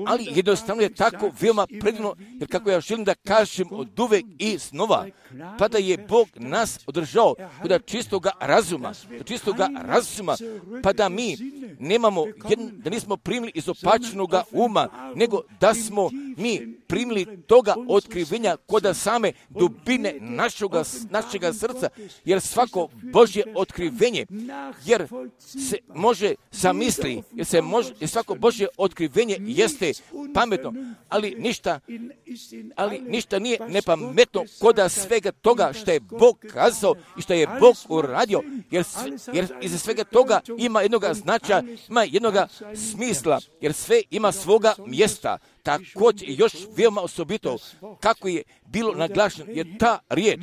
Speaker 1: Ali jednostavno je tako veoma predivno, jer kako ja želim da kažem od uvek i snova, pa da je Bog nas održao kod čistoga razuma, kod čistoga razuma, pa da mi nemamo, da nismo primili izopačenoga uma, nego da smo mi primili toga otkrivenja kod same dubine našega, našega srca, jer svako Božje otkrivenje, jer se može zamisli, jer se može, jer svako Božje otkrivenje jeste pametno, ali ništa, ali ništa nije nepametno kod svega toga što je Bog kazao i što je Bog uradio, jer, jer iza svega toga ima jednoga značaja, ima jednoga smisla, jer sve ima svoga mjesta. Također još veoma osobito kako je bilo naglašeno je ta riječ,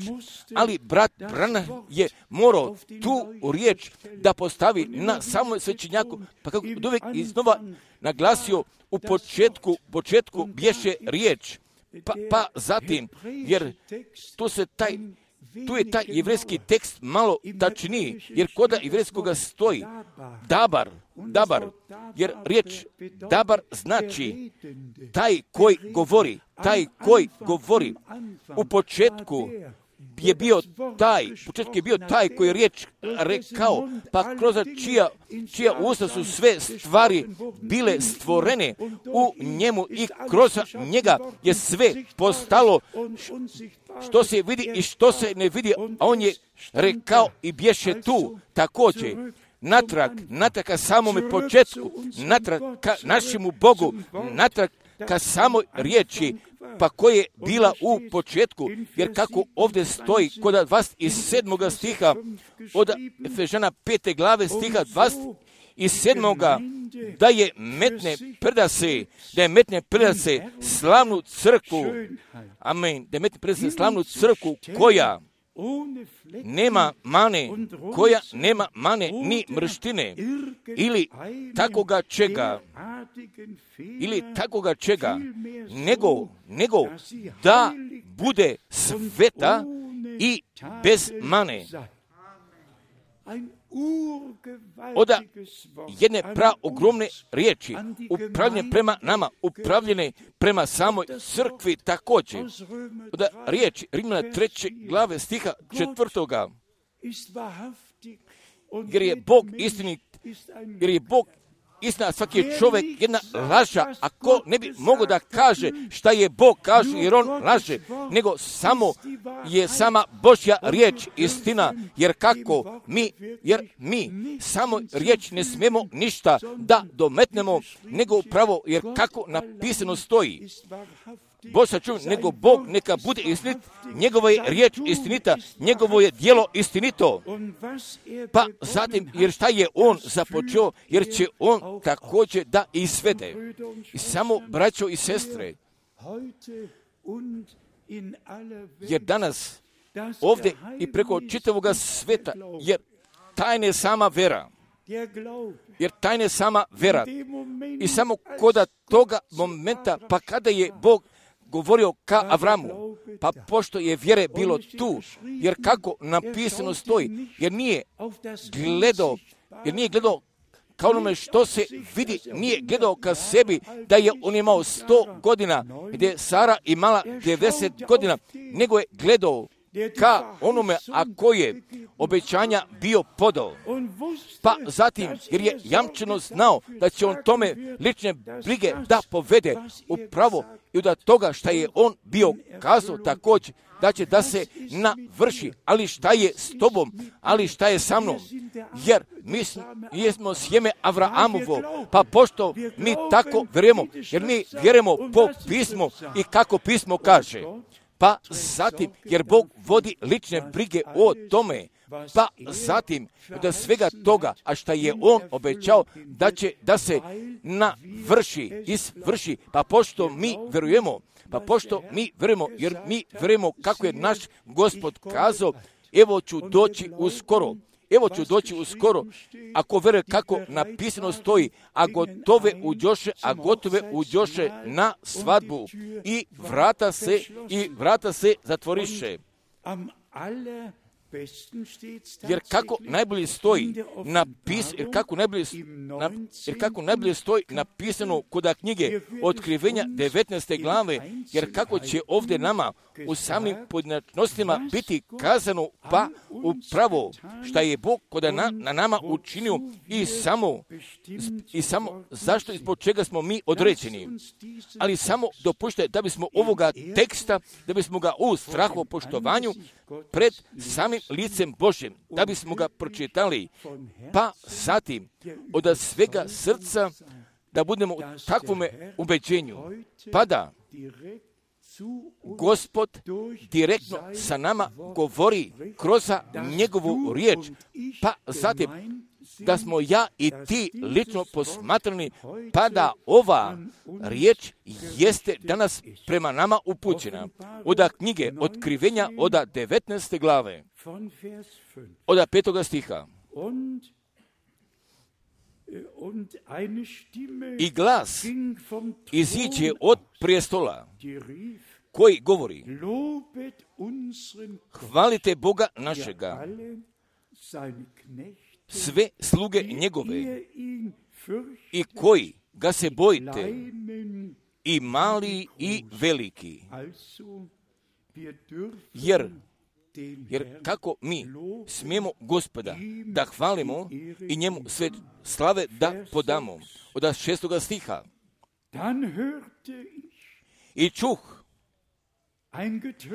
Speaker 1: ali brat Branham je morao tu riječ da postavi na samom svećenjaku, pa kako uvijek iznova naglasio u početku, početku bješe riječ, pa, pa zatim, jer tu se taj Tu je taj jevrejski tekst malo tačniji, jer koda jevrejskoga stoji dabar, dabar, jer riječ dabar znači taj koji govori, taj koji govori u početku je bio taj, u početku je bio taj koji je riječ rekao, pa kroz čija, čija usta su sve stvari bile stvorene u njemu i kroz njega je sve postalo što se vidi i što se ne vidi, a on je rekao i bješe tu također. Natrag, natrag ka samome početku, natrag ka našemu Bogu, natrag ka samoj riječi, pa koja je bila u početku, jer kako ovdje stoji kod dvadeset sedmoga stiha, od Efežana pete glave stiha dvadeset sedmoga, da je metne predase, da je metne predase slavnu crkvu, amen, da je metne predase slavnu crkvu koja nema mane, koja nema mane ni mrštine, ili takoga čega, ili takoga čega, nego, nego da bude sveta i bez mane. Od jedne praogromne riječi, upravljene prema nama, upravljene prema samoj crkvi također. Od riječi Rimljana treće glave stiha četvrtoga, jer je Bog istinit, jer je Bog istina, svaki je čovjek jedna laža, ako ne bi mogao da kaže šta je Bog kaže, jer on laže, nego samo je sama Božja riječ istina, jer kako mi, jer mi samo riječ ne smijemo ništa da dometnemo, nego upravo, jer kako napisano stoji, Bog sačuva, nego Bog neka bude istinit, njegova je riječ istinita, njegovo je djelo istinito. Pa zatim, jer šta je on započeo, jer će on također da izvede. I samo, braćo i sestre, jer danas ovdje i preko čitavoga sveta, jer tajna je sama vera, jer tajna je sama vera. I samo koda toga momenta, pa kada je Bog govorio ka Avramu, pa pošto je vjere bilo tu, jer kako napisano stoji, jer nije gledao, jer nije gledao kao onome što se vidi, nije gledao ka sebi da je on imao sto godina, gdje je Sara imala devedeset godina, nego je gledao ka onome ako je obećanja bio podao. Pa zatim, jer je jamčeno znao da će on tome lične brige da povede upravo i da toga šta je on bio kazao također, da će da se navrši, ali šta je s tobom, ali šta je sa mnom, jer mi jesmo sjeme Avraamovo, pa pošto mi tako vjerujemo, jer mi vjerujemo po pismu i kako pismo kaže. Pa zatim, jer Bog vodi lične brige o tome, pa zatim da svega toga, a šta je on obećao da će da se navrši, izvrši, pa pošto mi verujemo, pa pošto mi verujemo, jer mi verujemo kako je naš Gospod kazao, evo ću doći uskoro. Evo ću doći uskoro, ako veruje kako napisano stoji, a gotove uđoše, a gotove uđoše na svadbu i vrata se, i vrata se zatvoriše. Jer kako najbolje stoji napis, jer kako najbolje, na, jer kako najbolje stoji napisano kod knjige Otkrivenja devetnaeste glave, jer kako će ovdje nama u samim pojedinačnostima biti kazano, pa upravo šta je Bog kod na, na nama učinio i samo, i samo zašto i zbog čega smo mi određeni. Ali samo dopušte da bismo ovoga teksta, da bismo ga u strahu poštovanju pred samim licem Božjem, da bismo ga pročitali, pa zatim od svega srca da budemo u takvome ubeđenju, pa da Gospod direktno sa nama govori kroz njegovu riječ, pa zatim da smo ja i ti lično posmatrani, pa da ova riječ jeste danas prema nama upućena. Od knjige Otkrivenja od devetnaeste glave, od petoga stiha. I glas iziđe od prijestola koji govori: hvalite Boga našega, sve sluge njegove, i koji ga se bojite, i mali i veliki. Jer Jer kako mi smijemo Gospoda da hvalimo i njemu sve slave da podamo. Od šestoga stiha. I čuh,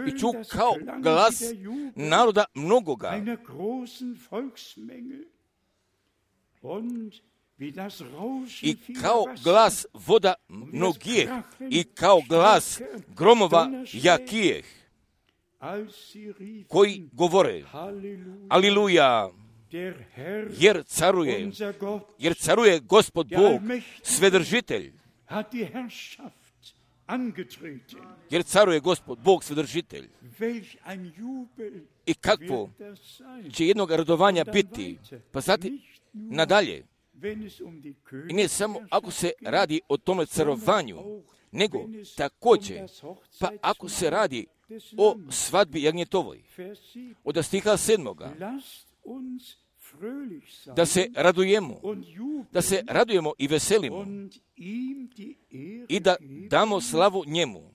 Speaker 1: i čuh kao glas naroda mnogoga. I kao glas voda mnogijeh, i kao glas gromova jakijeh, koji govore, Aliluja, jer caruje, jer caruje Gospod Bog, Svedržitelj. Jer caruje Gospod Bog, Svedržitelj. I kakvo će jednog radovanja biti, pa zatim nadalje. I ne samo ako se radi o tome carovanju, nego također, pa ako se radi o svadbi jagnjetovoj. Od stiha sedmoga. Da se radujemo, da se radujemo i veselimo i da damo slavu njemu.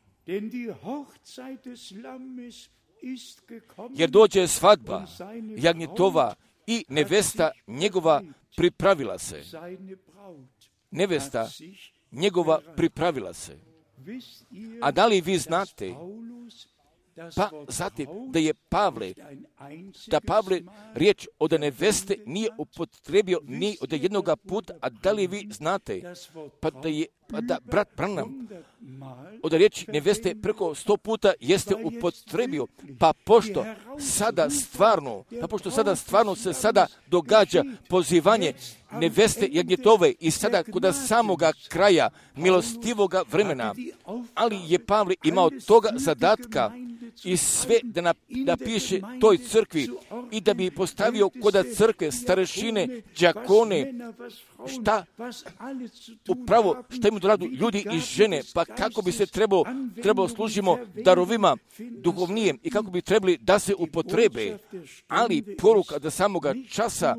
Speaker 1: Jer dođe svadba jagnjetova i nevesta njegova pripravila se. Nevesta njegova pripravila se. A da li vi znate, pa zatim da je Pavle, da Pavle riječ od neveste nije upotrebio ni od jednoga puta, a da li vi znate, pa da je, pa da brat Branham od riječi neveste preko sto puta jeste upotrebio, pa pošto sada stvarno, pa pošto sada stvarno se sada događa pozivanje neveste jagnjetove i sada kod samoga kraja milostivoga vremena, ali je Pavle imao toga zadatka i sve da napiše toj crkvi i da bi postavio kod crkve starešine, đakone, šta upravo šta im radu ljudi i žene, pa kako bi se trebalo, trebalo služimo darovima duhovnijem i kako bi trebali da se upotrebe, ali poruka da samoga časa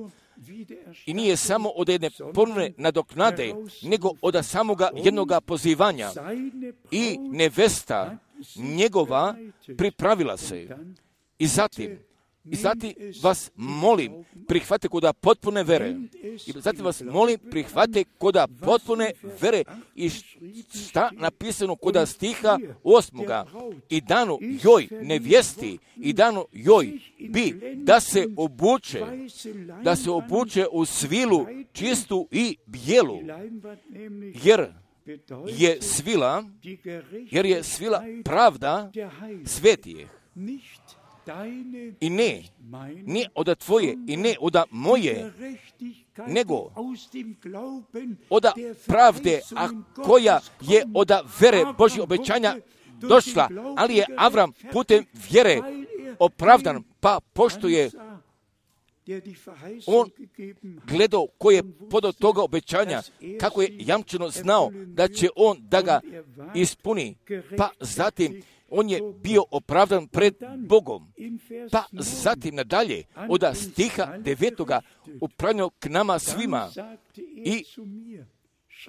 Speaker 1: i nije samo od jedne ponovne nadoknade, nego od samoga jednoga pozivanja i nevesta njegova pripravila se. I zatim, i zatim vas molim, prihvate koda potpune vere. I zatim vas molim, prihvate koda potpune vere. I šta napisano koda stiha osmoga. I dano joj nevjesti, i dano joj bi da se obuče, da se obuče u svilu čistu i bijelu. Jer je svila, jer je svila pravda svetijeh. I ne, ne od tvoje i ne od moje, nego od pravde, a koja je od vere Božje obećanja došla, ali je Avram putem vjere opravdan, pa pošto je on gledao ko je podao toga obećanja, kako je jamčeno znao da će on da ga ispuni, pa zatim on je bio opravdan pred Bogom. Pa zatim nadalje, od stiha devetoga upravljeno k nama svima i,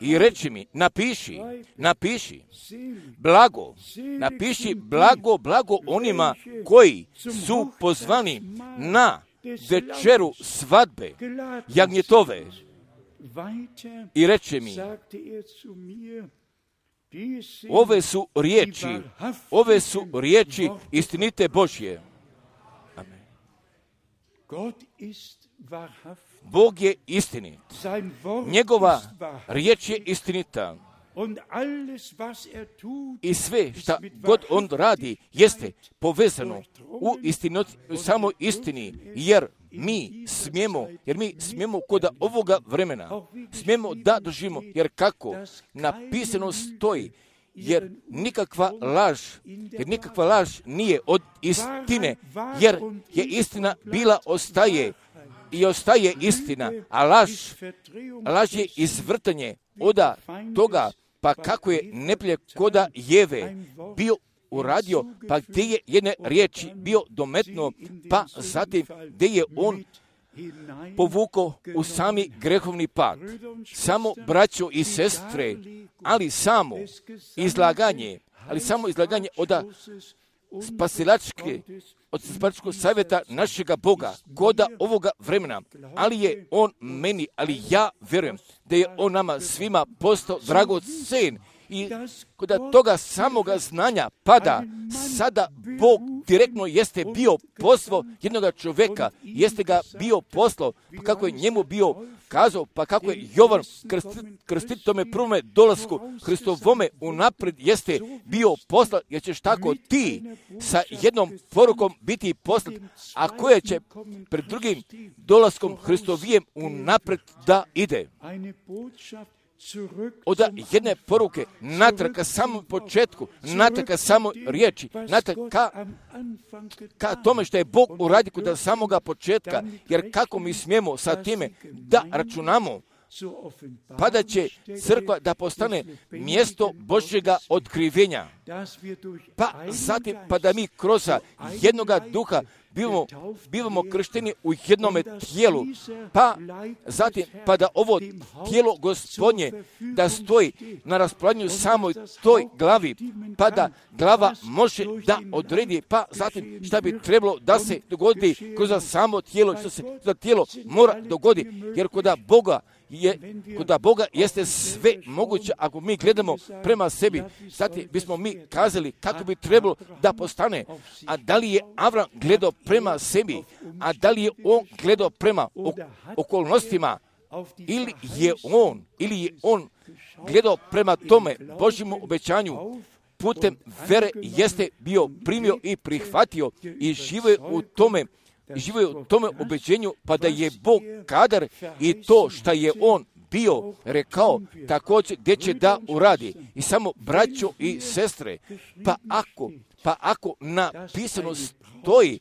Speaker 1: i reči mi, napiši, napiši, blago, napiši blago, blago onima koji su pozvani na večeru svadbe jagnjetove. I reče mi, ove su riječi, ove su riječi istinite Božje. Amen. Bog je istinit. Njegova riječ je istinita. I sve šta god on radi jeste povezano u istinot, samo istini, jer mi smijemo, jer mi smijemo kod ovoga vremena, smijemo da doživimo, jer kako napisano stoji, jer nikakva laž, jer nikakva laž nije od istine, jer je istina bila, ostaje i ostaje istina, a laž, laž je izvrtanje od toga, pa kako je neprijatelj koda Jeve bio uradio, pa gdje je jedne riječi bio dometno, pa zatim gdje je on povukao u sami grehovni pad. Samo braćo i sestre, ali samo izlaganje, ali samo izlaganje od spasilačke, od spasilačkog savjeta našega Boga, koda ovoga vremena, ali je On meni, ali ja vjerujem da je On nama svima postao dragocen. I kod toga samoga znanja pada, sada Bog direktno jeste bio poslao jednoga čovjeka, jeste ga bio poslao, pa kako je njemu bio kazao, pa kako je Jovan krstiti tome prvome dolasku Hristovome unaprijed jeste bio poslao, jer ćeš tako ti sa jednom porukom biti poslat, a koje će pred drugim dolaskom Hristovijem unaprijed da ide. Od jedne poruke, natrag ka samom početku, natrag ka samoj riječi, natrag ka, ka tome što je Bog uradio kod samoga početka, jer kako mi smijemo sa time da računamo, pa da će crkva da postane mjesto Božjega otkrivenja. Pa zatim, pa da mi kroz jednoga duha bivamo, bivamo kršteni u jednome tijelu, pa zatim, pa da ovo tijelo Gospodnje da stoji na raspolaganju samoj toj glavi, pa da glava može da odredi, pa zatim šta bi trebalo da se dogodi kroz samo tijelo, što se za tijelo mora dogoditi, jer kod Boga je, kod Boga jeste sve moguće. Ako mi gledamo prema sebi, zatim bismo mi kazali kako bi trebalo da postane. A da li je Avram gledao prema sebi, a da li je on gledao prema okolnostima, ili je on, ili je on gledao prema tome Božjemu obećanju, putem vere jeste bio primio i prihvatio i živio u tome, živio u tome ubeđenju, pa da je Bog kadar i to što je on bio rekao također gdje će da uradi. I samo braćo i sestre, pa ako, pa ako napisano stoji,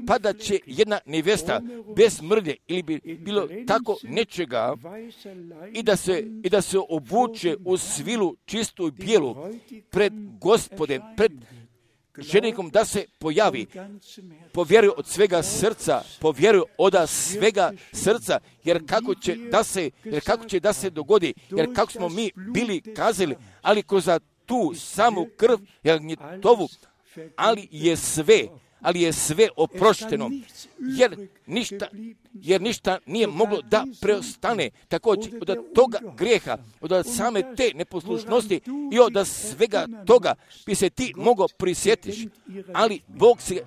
Speaker 1: pa da će jedna nevjesta bez mrlje ili bi bilo tako nečega i da se, i da se obuče u svilu čistu i bijelu pred Gospodem, pred ženikom da se pojavi, povjeruju od svega srca, povjeruju od svega srca, jer kako će da se, jer kako će da se dogodi, jer kako smo mi bili kazali, ali kroz tu samu krv, jer tovu, ali je sve, ali je sve oprošteno, jer ništa, jer ništa nije moglo da preostane. Također od toga grijeha, od same te neposlušnosti i od svega toga bi se ti mogao prisjetiš, ali Bog se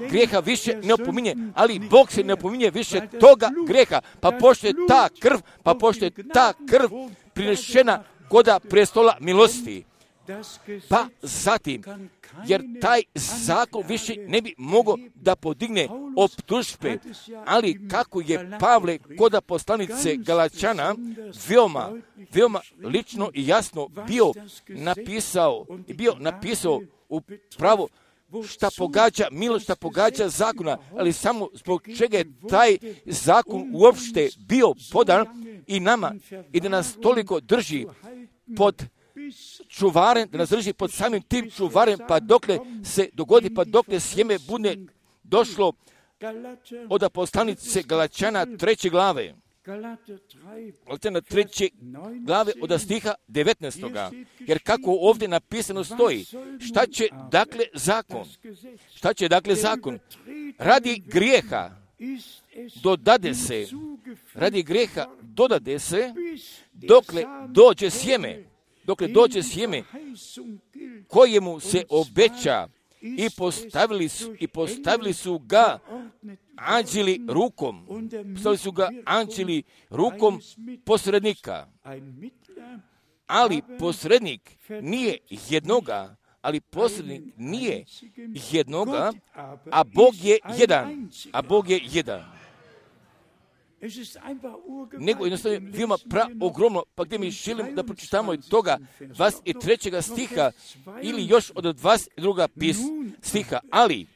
Speaker 1: grijeha više ne opominje, ali Bog se ne opominje više toga grijeha, pa pošto je ta krv, pa pošto je ta krv prinešena koda prestola milosti. Pa zatim, jer taj zakon više ne bi mogao da podigne optužbe, ali kako je Pavle koda poslanice Galačana veoma, veoma lično i jasno bio napisao, bio napisao u pravo šta pogađa milost, šta pogađa zakona, ali samo zbog čega je taj zakon uopšte bio podan i nama i da nas toliko drži pod čuvarem, da nas drži pod samim tim čuvarem, pa dokle se dogodi, pa dokle sjeme bude došlo od poslanice Galačana treće glave. Galačana treće glave od stiha devetnaestoga. Jer kako ovdje napisano stoji, šta će dakle zakon? Šta će dakle zakon? Radi grijeha dodade se, radi grijeha dodade se, dokle dođe sjeme, dokle dođe sjeme kojemu se obeća i postavili su, i postavili su ga anđeli rukom, postavili su ga anđeli rukom posrednika. Ali posrednik nije jednoga, ali posrednik nije jednoga, a Bog je jedan, a Bog je jedan. Nego jednostavno veoma pra ogromno, pa gdje mi želim da pročitamo od toga dvadeset trećega stiha ili još od dvadeset drugog pis, stiha, ali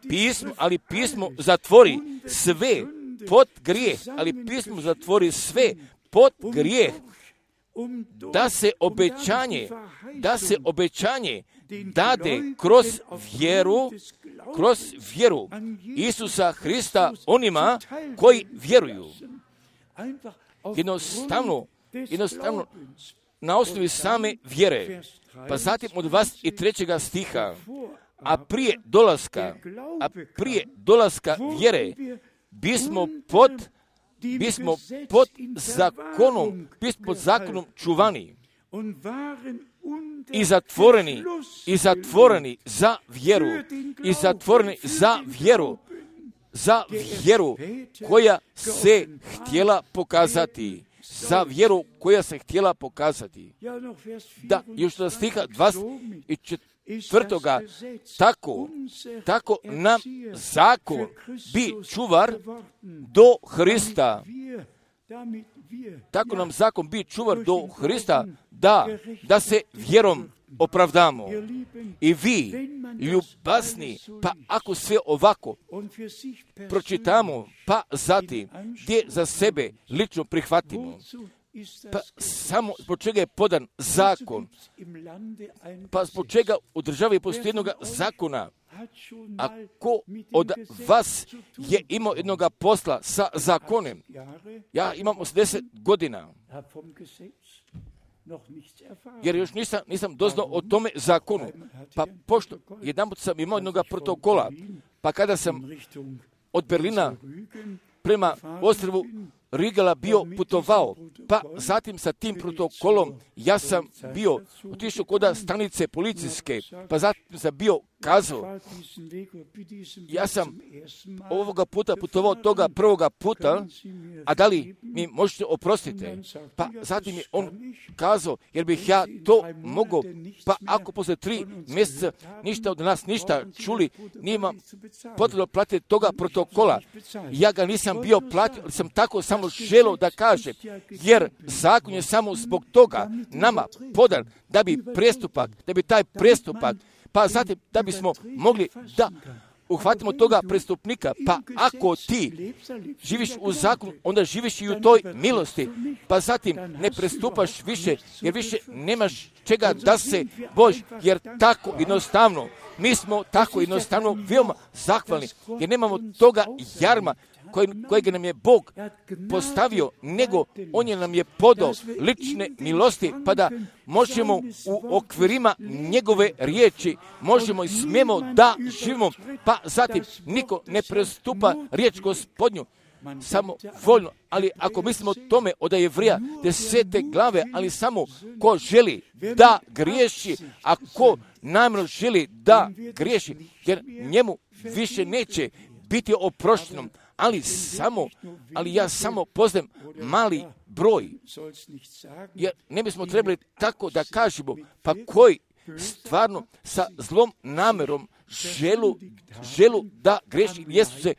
Speaker 1: pismo, ali pismo zatvori sve pod grijeh, ali pismo zatvori sve pod grijeh, da se obećanje, da se obećanje dade kroz vjeru, kroz vjeru Isusa Hrista onima koji vjeruju. Jednostavno, jednostavno na osnovi same vjere. Pa zatim od dvadeset trećega stiha, a prije dolaska, a prije dolaska vjere, bismo pod, bismo pod zakonom, bismo pod zakonom čuvani i zatvoreni, i zatvoreni za vjeru, i zatvoreni za vjeru, za vjeru koja se htjela pokazati, za vjeru koja se htjela pokazati. Da, još do stiha dvadeset četvrtoga tako, tako nam zakon bi čuvar do Hrista. Tako nam zakon bi čuvar do Hrista, da, da se vjerom opravdamo. I vi, ljubazni, pa ako sve ovako pročitamo, pa zatim gdje za sebe lično prihvatimo, pa samo zbog čega je podan zakon, pa zbog čega u državi postoji jednog zakona. Ako od vas je imao jednoga posla sa zakonem, ja imam osamdeset godina, jer još nisam, nisam doznao o tome zakonu. Pa pošto jedanput sam imao jednoga protokola, pa kada sam od Berlina prema ostrvu Rigala bio putovao, pa zatim sa tim protokolom ja sam bio otišao kod stanice policijske, pa zatim sam bio kazao, ja sam ovoga puta putovao toga prvoga puta, a da li mi možete oprostiti? Pa zatim je on kazao, jer bih ja to mogao, pa ako posle tri mjeseca ništa od nas ništa čuli, nima potrebno platiti toga protokola. Ja ga nisam bio platio, ali sam tako samo želio da kažem, jer zakon je samo zbog toga nama podan da bi prestupak, da bi taj prestupak, pa zatim da bismo mogli da uhvatimo toga prestupnika, pa ako ti živiš u zakonu, onda živiš i u toj milosti, pa zatim ne prestupaš više, jer više nemaš čega da se bojiš, jer tako jednostavno, mi smo tako jednostavno veoma zahvalni, jer nemamo toga jarma Koj, kojeg nam je Bog postavio, nego On je nam je podao lične milosti, pa da možemo u okvirima njegove riječi, možemo i smijemo da živimo, pa zatim niko ne prestupa riječ Gospodnju, samo voljno, ali ako mislimo o tome od Jevrija desete glave, ali samo ko želi da griješi, a ko namjerno želi da griješi, jer njemu više neće biti oprošteno, ali samo, ali ja samo poznajem mali broj. Jer ne bismo trebali tako da kažemo, pa koji stvarno sa zlom namjerom želu, želu da greši, jesu se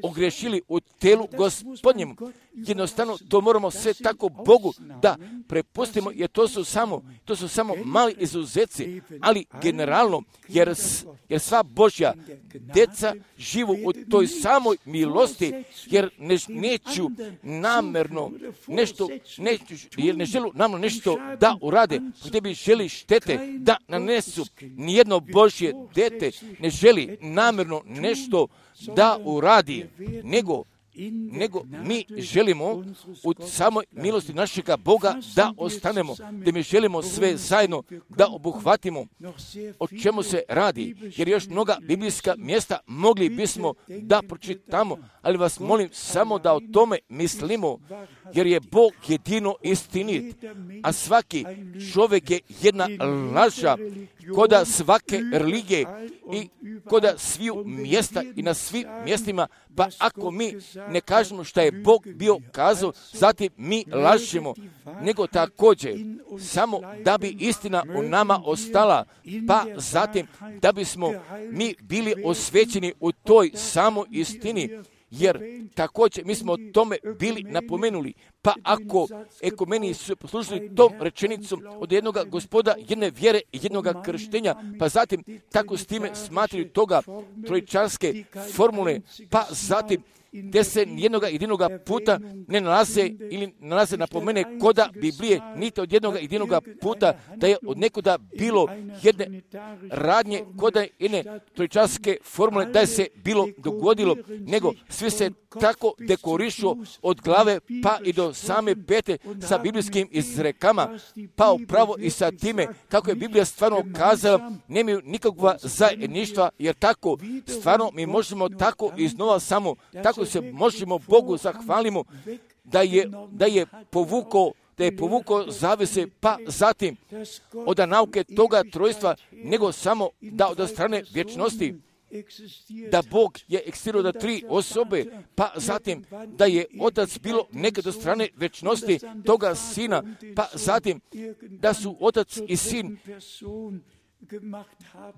Speaker 1: ogrešili u telu Gospodnjemu. Jednostavno to moramo sve tako Bogu da prepustimo, jer to su samo, to su samo mali izuzeci, ali generalno, jer, jer sva Božja djeca živu u toj samoj milosti, jer ne, neću namjerno nešto, neću, jer ne želu namjerno nešto da urade, gdje bi želi štete da nanesu. Nijedno Božje dete ne želi namjerno nešto da uradi, nego nego mi želimo u samoj milosti našega Boga da ostanemo, da mi želimo sve zajedno da obuhvatimo o čemu se radi, jer još mnoga biblijska mjesta mogli bismo da pročitamo, ali vas molim samo da o tome mislimo, jer je Bog jedino istinit, a svaki čovjek je jedna laža koda svake religije i koda sviju mjesta i na svim mjestima, pa ako mi ne kažemo što je Bog bio kazao, zatim mi lažemo, nego također samo da bi istina u nama ostala, pa zatim da bismo mi bili osvećeni u toj samoj istini, jer također mi smo o tome bili napomenuli, pa ako ekumeni su poslužili tom rečenicom od jednoga Gospoda, jedne vjere i jednoga krštenja, pa zatim tako s time smatraju toga trojičarske formule, pa zatim gdje se jednoga jedinoga puta ne nalaze ili nalaze napomene koda Biblije, niti od jednoga jedinoga puta da je od nekuda bilo jedne radnje koda jedne trojičarske formule da je se bilo dogodilo, nego svi se tako dekorišu od glave pa i do same pete sa biblijskim izrekama, pa upravo i sa time kako je Biblija stvarno kazala, nemaju nikakva zajedništva, jer tako stvarno mi možemo tako iznova samo, tako se možemo Bogu zahvalimo da je, da je povukao da je povukao zavese, pa zatim od nauke toga trojstva, nego samo da od strane vječnosti, da Bog je eksistirao da tri osobe, pa zatim da je Otac bilo nekad od strane vječnosti toga Sina, pa zatim da su Otac i Sin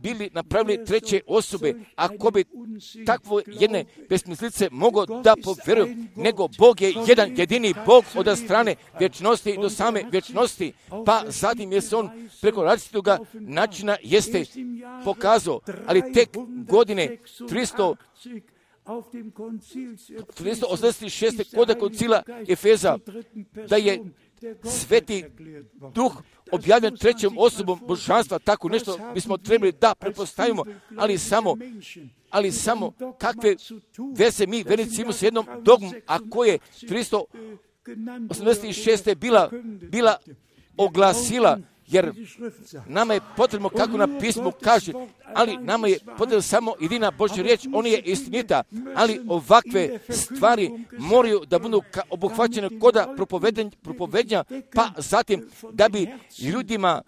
Speaker 1: bili napravili treće osobe, ako bi takvo jedne besmislice mogao da povjeruju, nego Bog je jedan jedini Bog od strane vječnosti do same vječnosti, pa zatim je se on preko različitoga načina jeste pokazao, ali tek godine tristo osamdeset šeste kod koncila Efeza, da je Sveti Duh objavljen trećom osobom božanstva, tako nešto bismo trebali da pretpostavimo, ali samo, ali samo kakve veze mi vernici imamo s jednom dogmom, a koje tristo osamdeset šeste bila, bila oglasila, jer nama je potrebno, kako na pismu kaže, ali nama je potrebno samo jedina Božja riječ, ona je istinita, ali ovakve stvari moraju da budu obuhvaćene koda propovednja, pa zatim da bi ljudima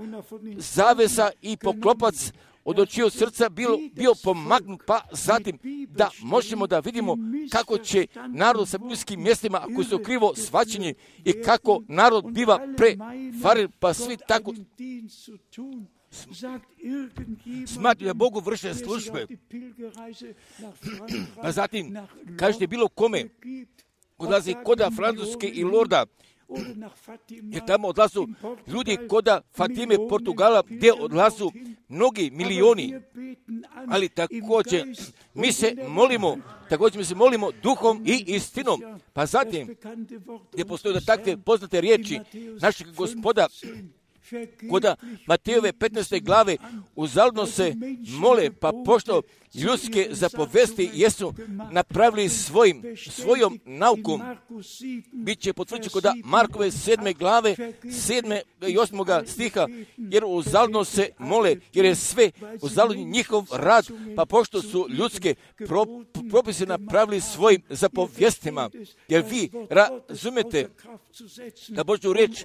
Speaker 1: zavesa i poklopac od očiju srca bio, bio pomagnut, pa zatim da možemo da vidimo kako će narod sa biblijskim mjestima, ako su krivo shvaćeni, i kako narod biva prevaren, pa svi tako smatruju da Bogu vrše službe. Pa zatim, kažete bilo kome, odlazi koda Francuske i Lorda, jer tamo odlazu ljudi koda Fatime, Portugala, gdje odlazu mnogi milioni, ali također mi se molimo, također mi se molimo duhom i istinom. Pa zatim, gdje postoje da takve poznate riječi našeg Gospoda, koda Matejove petnaeste glave, uzaludno se mole, pa pošto ljudske zapovesti jesu napravili svojim, svojom naukom, bit će potvrđeno koda Markove sedme glave, sedme i osmoga stiha, jer uzaludno se mole, jer je sve uzaludni njihov rad, pa pošto su ljudske pro, propise napravili svojim zapovjestima, jer vi razumete da Božju riječ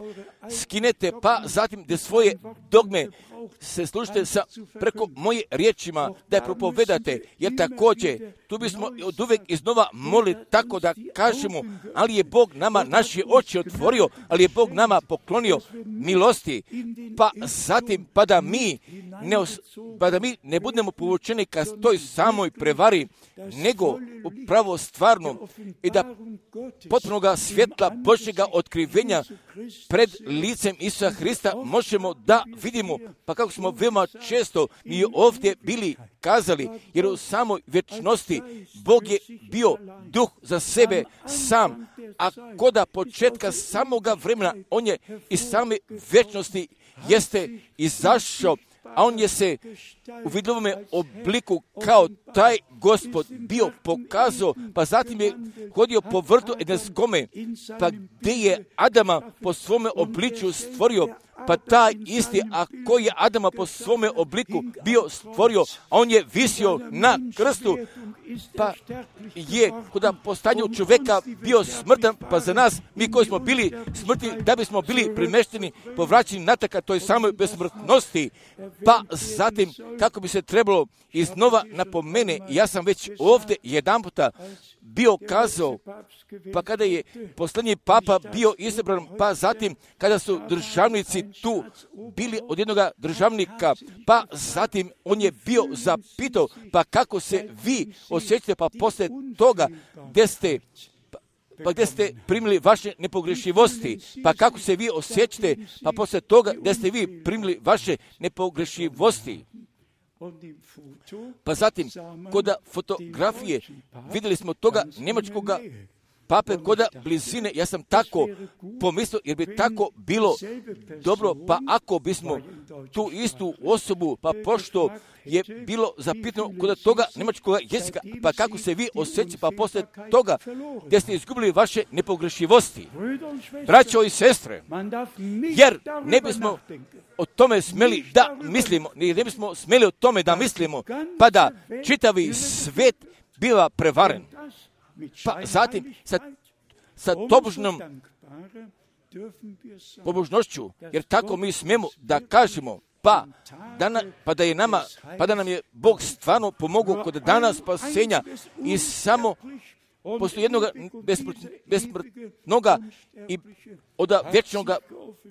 Speaker 1: skinete, pa zatim da svoje dogme se služite sa preko moje riječima da je propovedate, jer također tu bismo od uvek iznova molili tako da kažemo, ali je Bog nama naše oči otvorio, ali je Bog nama poklonio milosti, pa zatim pa da mi ne, os, pa da mi ne budemo povučeni ka toj samoj prevari, nego upravo stvarno i da potpunoga svjetla Božjega otkrivenja pred licem Isusa Hrista možemo da vidimo, pa kako smo veoma često mi ovdje bili kazali, jer u samoj vječnosti Bog je bio duh za sebe sam, a koda početka samoga vremena on je iz same vječnosti jeste izašao, a on je se u vidovome obliku kao taj Gospod bio pokazao, pa zatim je hodio po vrtu Edenskome, pa gdje je Adama po svome obličju stvorio, pa taj isti, a koji je Adama po svome obliku bio stvorio, a on je visio na krstu, pa je kod postanju čovjeka bio smrtan, pa za nas, mi koji smo bili smrtni, da bismo bili primešteni, povraćeni nataka toj samoj besmrtnosti, pa zatim kako bi se trebalo iznova napomene, ja sam već ovdje jedan puta bio kazao, pa kada je posljednji papa bio izabran, pa zatim kada su državnici tu bili od jednog državnika, pa zatim on je bio zapitao, pa kako se vi osjećate, pa poslije toga gdje ste pa gdje ste primili vaše nepogrešivosti, pa kako se vi osjećate, pa poslije toga gdje ste vi primili vaše nepogrešivosti. Pa zatim, kod fotografije vidjeli smo toga njemačkoga pape koda blizine, ja sam tako pomislio, jer bi tako bilo dobro, pa ako bismo tu istu osobu, pa pošto je bilo zapitano kod toga njemačkog jezika, pa kako se vi osjećate, pa posle toga gdje ste izgubili vaše nepogrešivosti, braćo i sestre, jer ne bismo o tome smeli da mislimo, ne bismo smeli o tome da mislimo, pa da čitavi svet biva prevaren. Pa zatim sa, sa tobožnom pobožnošću, jer tako mi smijemo da kažemo, pa da, na, pa da je nama, pa da nam je Bog stvarno pomogao kod dana spasenja i samo poslije jednog besmrtnoga i od vječnoga,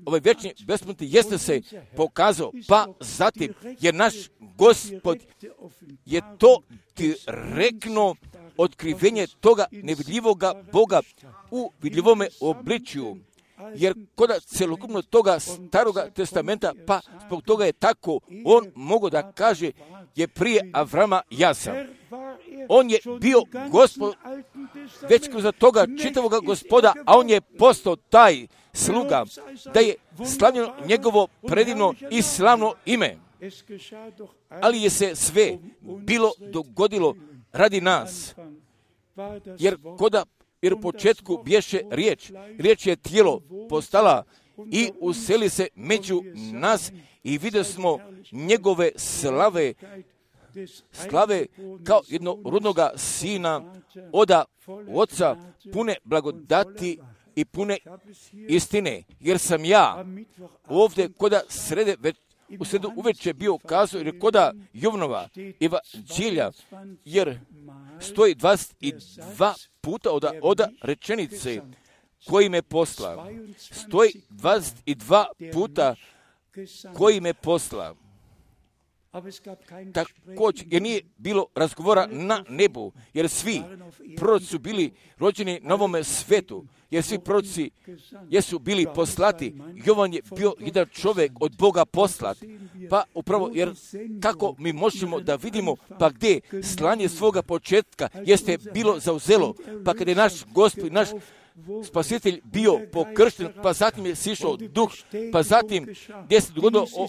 Speaker 1: ovaj vječni besmrtni jeste se pokazao, pa zatim je naš Gospod je to direktno otkrivenje toga nevidljivoga Boga u vidljivome obličju. Jer kod celokupno toga staroga testamenta, pa zbog toga je tako, on mogo da kaže, je prije Avrama ja sam. On je bio Gospod, već kroz toga čitavoga Gospoda, a on je postao taj sluga, da je slavljeno njegovo predivno i slavno ime. Ali je se sve bilo dogodilo radi nas, jer koda jer u početku bješe riječ, riječ je tijelo postala i useli se među nas i vidjeli smo njegove slave, slave kao jednorodnoga sina oda oca, pune blagodati i pune istine, jer sam ja ovdje koda srede već u sredu uveče bio kazao, jer koda Jovnova evanđelja, jer stoji dvadeset dva puta od oda rečenice koji me posla. Stoji dvadeset dva puta koji me posla. Također, jer nije bilo razgovora na nebu, jer svi proroci su bili rođeni na ovome svetu, jer svi proroci jesu bili poslati. Jovan je bio jedan čovjek od Boga poslat, pa upravo, jer kako mi možemo da vidimo, pa gdje slanje svoga početka jeste bilo zauzelo, pa kada je naš Gospod, naš Spasitelj bio pokršten, pa zatim je sišao duh, pa zatim gdje se dogodilo o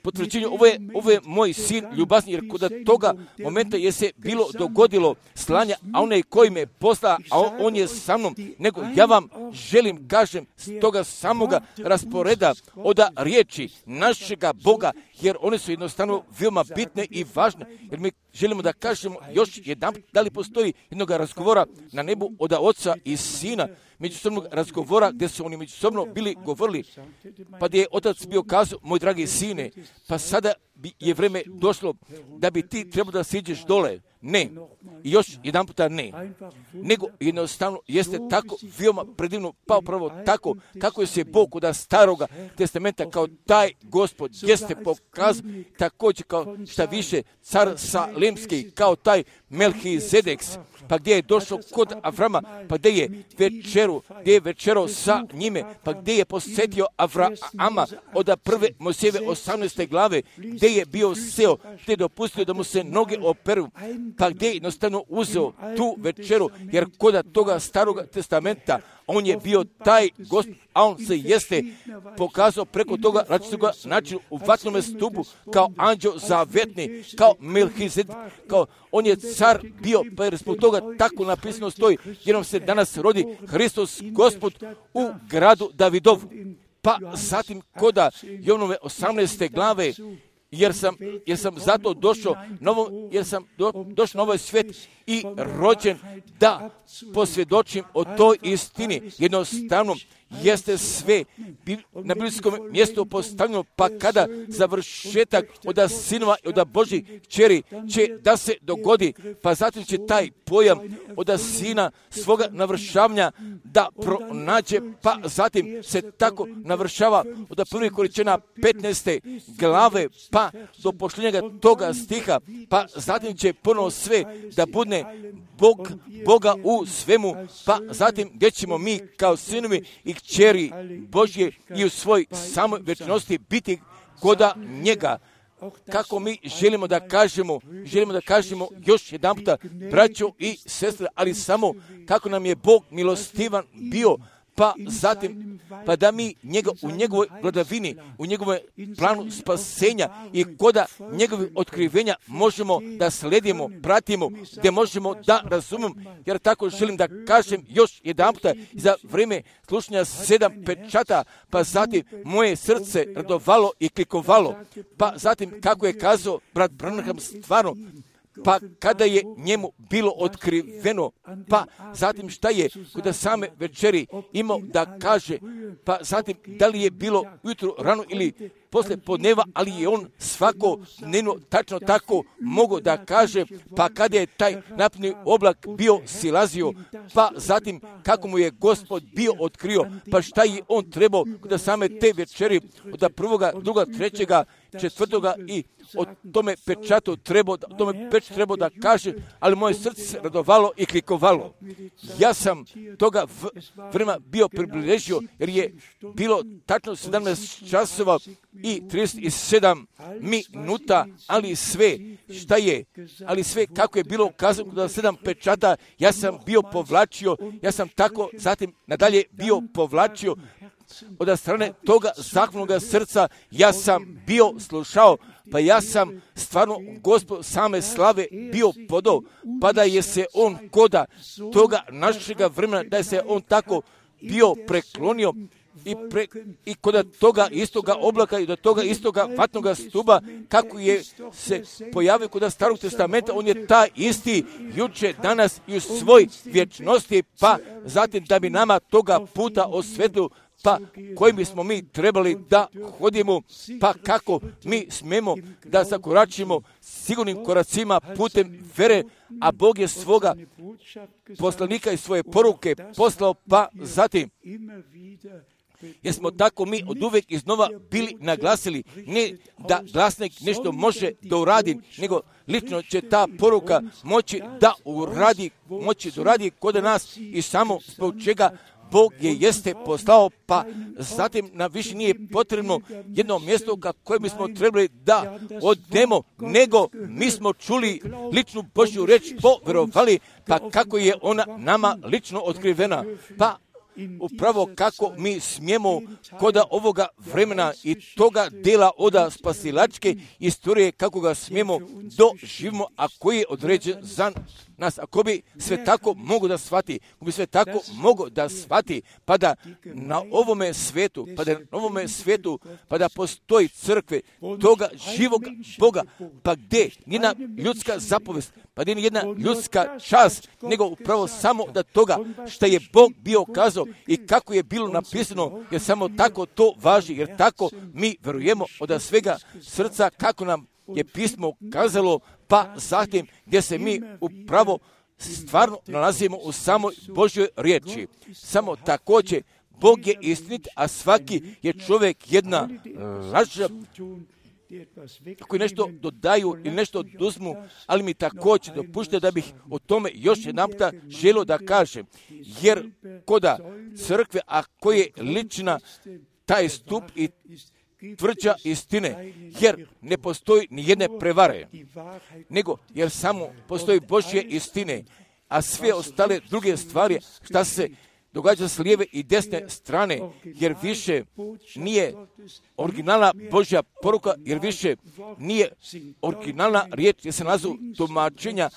Speaker 1: potvrđenju, ovo je, ovo je moj sin ljubazni, jer kod toga momenta je se bilo dogodilo slanja, a onaj koji me posla, a on, on je sa mnom, nego ja vam želim, kažem, s toga samoga rasporeda oda riječi našega Boga, jer one su jednostavno veoma bitne i važne, jer mi želimo da kažemo još jedan, da li postoji jednog razgovora na nebu od oca i sina, međusobnog razgovora gdje su oni međusobno bili govorili, pa gdje je otac bio kazao, moj dragi sine, pa sada je vreme došlo da bi ti trebao da siđeš dole. Ne. I još jedan puta ne. Nego jednostavno jeste tako veoma predivno, pa upravo tako kako je se Bog od staroga testamenta kao taj Gospod jeste pokazao, također kao šta više car Salemski, kao taj Melhizedeks, pa gdje je došao kod Avrama, pa gdje je večeru, gdje je večerao sa njime, pa gdje je posjetio Avrama od prve Mojsijeve osamnaeste glave, gdje je bio seo, gdje je dopustio da mu se noge operu, pa gdje je jednostavno uzeo tu večeru, jer kod toga starog testamenta on je bio taj Gospod, a on se jeste pokazao preko toga različitoga načina u vatnome stupu, kao anđeo zavetni, kao Melhizedek, kao on je car bio, pa jer zbog toga tako napisano stoji, jer nam se danas rodi Hristos Gospod u gradu Davidovu. Pa zatim koda Jovnove osamnaeste glave, jer sam, jer sam zato došao, novo, jer sam do, došao na ovaj svijet i rođen da posvjedočim o toj istini. Jednostavno jeste sve na biblijskom mjestu postavljeno, pa kada završetak od sinova i od Božjih kćeri će da se dogodi, pa zatim će taj pojam od sina svoga navršavanja da pronađe, pa zatim se tako navršava od prvih Korinćana petnaeste glave, pa do pošljenja toga stiha, pa zatim će ponovo sve da budne Bog, Boga u svemu, pa zatim gdje ćemo mi kao sinovi i kćeri Božje i u svoj samoj večnosti biti koda njega. kako mi želimo da kažemo, želimo da kažemo još jedan puta, braćo i sestre, ali samo kako nam je Bog milostivan bio, pa zatim, pa da mi njega, u njegovoj vladavini, u njegovom planu spasenja i koda njegovih otkrivenja možemo da sledimo, pratimo, gdje možemo da razumemo, jer tako želim da kažem još jedan puta za vrijeme slušanja sedam pečata, pa zatim moje srce radovalo i klikovalo, pa zatim kako je kazao brat Branham stvarno, pa kada je njemu bilo otkriveno, pa zatim šta je kod same večeri imao da kaže, pa zatim da li je bilo ujutro rano ili posle podneva, ali je on svako dnevno tačno tako mogao da kaže, pa kada je taj napredni oblak bio silazio, pa zatim kako mu je Gospod bio otkrio, pa šta je on trebao kod same te večeri, od prvoga, druga, trećega, četvrtoga i o tome pečatu trebao, o tome pečatu trebao da kaže, ali moje srce se radovalo i klikovalo. Ja sam toga vremena bio približio, jer je bilo tačno sedamnaest časova i trideset sedam minuta, ali sve šta je, ali sve kako je bilo kazano da sedam pečata, ja sam bio povlačio, ja sam tako zatim nadalje bio povlačio od strane toga zahvalnog srca, ja sam bio slušao, pa ja sam stvarno Gospod same slave bio podao, pa da je se on koda toga našega vremena, da je se on tako bio preklonio i, pre, i kod toga istoga oblaka i do toga istoga vatnoga stuba, kako je se pojavio kod starog testamenta, on je taj isti juče, danas i u svoj vječnosti, pa zatim da bi nama toga puta osvetio, pa kojim bismo mi trebali da hodimo, pa kako mi smemo da zakoračimo sigurnim koracima putem vere, a Bog je svoga poslanika i svoje poruke poslao, pa zatim jer smo tako mi od uvek iznova bili naglasili, ne da glasnik nešto može da uradi, nego lično će ta poruka moći da uradi, moći da uradi kod nas i samo zbog čega Bog je jeste poslao, pa zatim nam više nije potrebno jedno mjesto koje bismo trebali da odemo, nego mi smo čuli ličnu Božju reč, poverovali, pa kako je ona nama lično otkrivena, pa upravo kako mi smijemo koda ovoga vremena i toga dela oda spasilačke istorije, kako ga smijemo doživimo, a koji je određen za nas. Ako bi sve tako mogu da shvati, ako bi sve tako mogu da shvati, pa da na ovome svetu, pa da na ovome svetu, pa da postoji crkve toga živog Boga, pa gdje njena ljudska zapovest, pa gdje jedna ljudska čast, nego upravo samo da toga što je Bog bio kazao i kako je bilo napisano, jer samo tako to važi, jer tako mi verujemo od svega srca kako nam je pismo kazalo, pa zatim gdje se mi upravo stvarno nalazimo u samoj Božjoj riječi. Samo također Bog je istinit, a svaki je čovjek jedna laža, koji nešto dodaju ili nešto oduzmu, ali mi također dopušte da bih o tome još jedan puta želio da kažem, jer koda crkve, a koje je lična taj stup i tvrđa istine, jer ne postoji ni jedne prevare, nego jer samo postoji Božje istine, a sve ostale druge stvari šta se događa s lijeve i desne strane, jer više nije originalna Božja poruka, jer više nije originalna riječ, jer se nalazu tumačenja,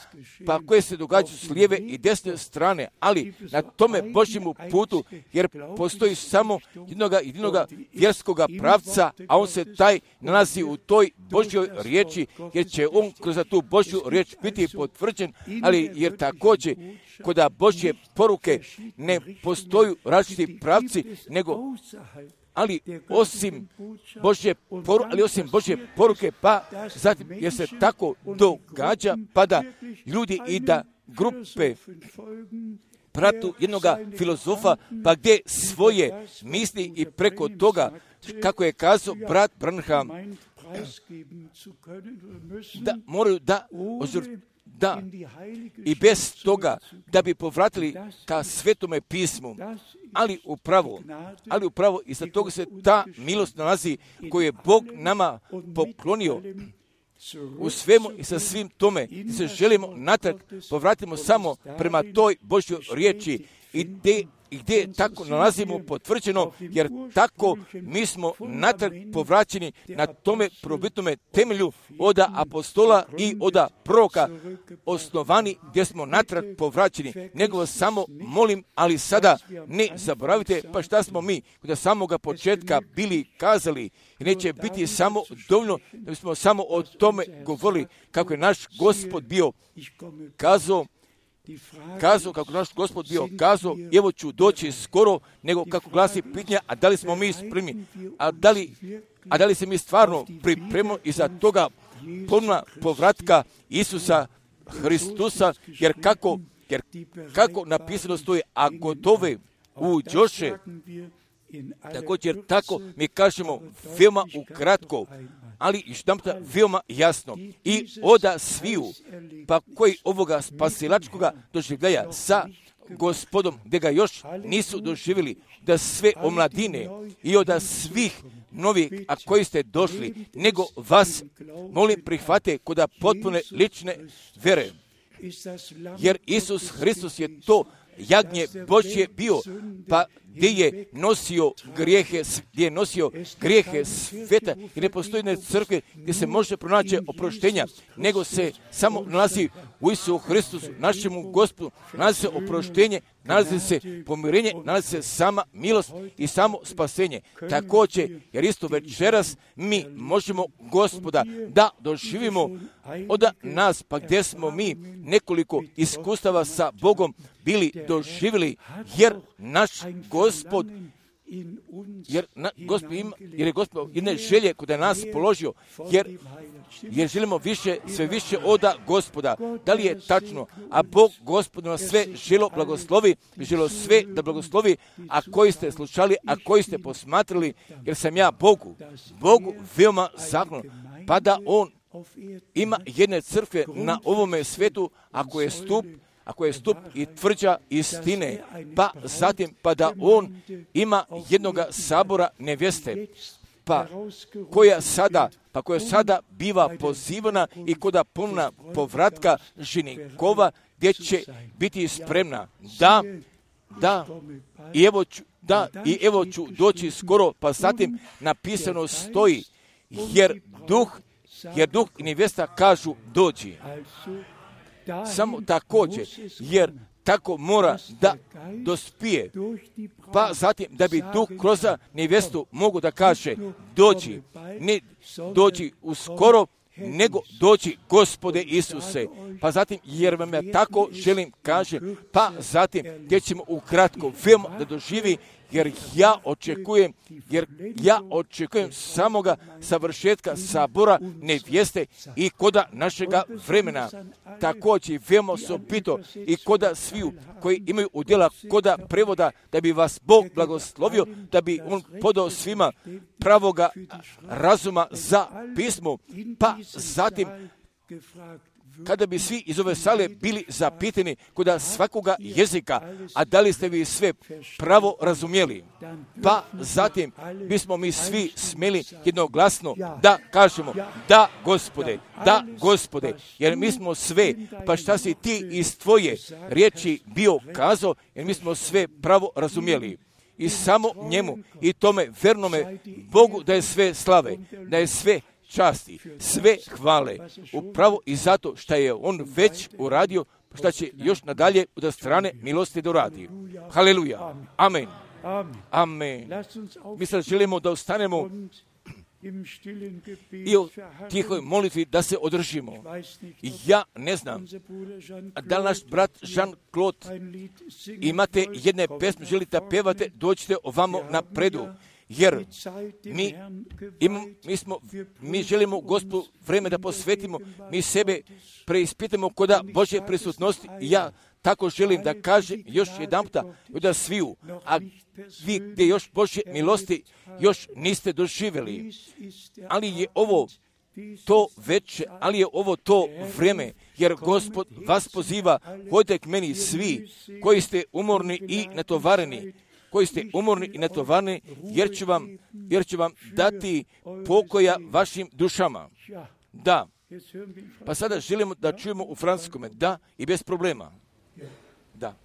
Speaker 1: pa koje se događaju s lijeve i desne strane, ali na tome Božjemu putu, jer postoji samo jednoga jedinoga vjerskoga pravca, a on se taj nalazi u toj Božjoj riječi, jer će on kroz tu Božju riječ biti potvrđen, ali jer također kod Božje poruke ne postoju različiti pravci, nego ali osim Božje poruke, ali osim Božje poruke, pa zatim jer se tako događa, pa da ljudi i da grupe, bratu jednoga filozofa, pa gdje svoje misli i preko toga, kako je kazao brat Branham, da moraju da, da i bez toga da bi povratili ka Svetome pismu, ali upravo, ali upravo i za toga se ta milost nalazi koju je Bog nama poklonio u svemu i sa svim tome. I se želimo natrag povratimo samo prema toj Božjoj riječi i gdje i gdje tako nalazimo potvrđeno, jer tako mi smo natrag povraćeni na tome probitnome temelju od apostola i od proroka osnovani, gdje smo natrag povraćeni. Nego vas samo molim, ali sada ne zaboravite, pa šta smo mi od samoga početka bili kazali, i neće biti samo dovoljno da bismo samo o tome govorili, kako je naš Gospod bio kazao, kazao, kako naš Gospod bio kazao, evo ću doći skoro, nego kako glasi pitanja, a da li smo mi spremni, a da li, a da li se mi stvarno pripremimo iza toga ponovna povratka Isusa Hristusa, jer kako, jer kako napisano stoji, a gotove uđoše, također tako mi kažemo veoma ukratko, ali i štamta veoma jasno. I oda sviju, pa koji ovoga spasilačkoga doživljaja sa Gospodom, gdje ga još nisu doživjeli, da sve omladine i oda svih novih, a koji ste došli, nego vas, molim, prihvate kod potpune lične vere. Jer Isus Hristos je to jagnje Božje bio, pa gdje je nosio grijehe, gdje je nosio grijehe sveta, i ne postoji jedne crkve gdje se može pronaći oproštenja, nego se samo nalazi u Isusu Hristusu, našemu Gospodu, nalazi se oproštenje, nalazi se pomirenje, nalazi se sama milost i samo spasenje. Također, jer isto večeras mi možemo Gospoda da doživimo od nas, pa gdje smo mi nekoliko iskustava sa Bogom bili doživjeli, jer naš Gospod, jer, na, Gospod ima, jer je Gospod jedne želje kod je nas položio, jer, jer želimo više, sve više oda Gospoda. Da li je tačno? A Bog Gospod nas sve želo blagoslovi, želo sve da blagoslovi, a koji ste slušali, a koji ste posmatrali, jer sam ja Bogu, Bogu veoma zahvalan, pa da On ima jedne crkve na ovome svetu, ako je stup, ako je stup i tvrđa istine, pa zatim pa da on ima jednoga sabora nevjeste, pa koja sada, pa koja sada biva pozivana i koda ponovna povratka ženikova, gdje će biti spremna da, da, i evo ću, da, i evo ću doći skoro, pa zatim napisano stoji, jer duh, jer duh i nevjesta kažu dođi. Samo također, jer tako mora da dospije, pa zatim da bi duh kroz nevjestu mogu da kaže dođi, ne dođi uskoro, nego dođi Gospode Isuse. Pa zatim, jer vam ja tako želim kaže, pa zatim gdje ćemo ukratko veoma da doživi, jer ja očekujem, jer ja očekujem samoga savršetka sabora nevjeste i koda našega vremena. Također veoma osobito i koda sviju koji imaju udjela koda prevoda, da bi vas Bog blagoslovio, da bi On podao svima pravoga razuma za pismo, pa zatim kada bi svi iz ove sale bili zapitani kod svakoga jezika, a da li ste vi sve pravo razumjeli, pa zatim bismo mi svi smjeli jednoglasno da kažemo da Gospode, da Gospode, jer mi smo sve, pa šta si ti iz tvoje riječi bio kazao, jer mi smo sve pravo razumjeli. I samo njemu i tome vernome Bogu da je sve slave, da je sve časti, sve hvale, upravo i zato što je On već uradio, što će još nadalje od strane milosti da uradi. Haleluja. Amen. Amen. Mi sad želimo da ostanemo i u tihoj molitvi da se održimo. Ja ne znam, da li naš brat Jean-Claude imate jedne pesme, želite da pevate, dođite ovamo napredu. Jer mi, im, mi, smo, mi želimo Gospodu vreme da posvetimo, mi sebe preispitamo koda Božje prisutnosti. Ja tako želim da kažem još jedan puta da sviju, a vi gdje još Božje milosti još niste doživjeli, ali je ovo to veće, ali je ovo to vrijeme, jer Gospod vas poziva, hodite k meni svi koji ste umorni i natovareni, koji ste umorni i natovareni, jer ću vam, jer ću vam dati pokoja vašim dušama. Da. Pa sada želimo da čujemo u francuskome, da, i bez problema. Da.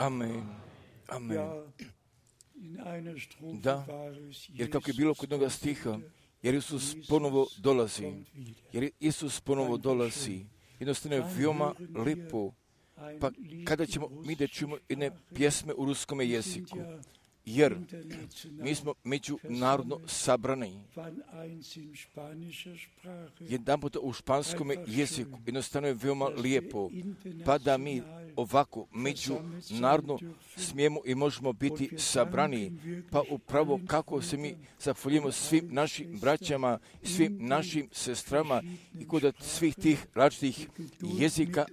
Speaker 1: Amen. Amen. Da, jer kako je bilo kod onoga stiha, jer Isus ponovo dolazi, jer Isus ponovo dolazi, jednostavno je veoma lijepo, pa kada ćemo mi da čujemo jedne pjesme u ruskome jeziku, jer mi smo međunarodno sabrani. Jedan puta u španskom jeziku jednostavno je veoma lijepo, pa da mi ovako međunarodno smijemo i možemo biti sabrani, pa upravo kako se mi zahvaljujemo svim našim braćama, svim našim sestrama i kod svih tih različitih jezika,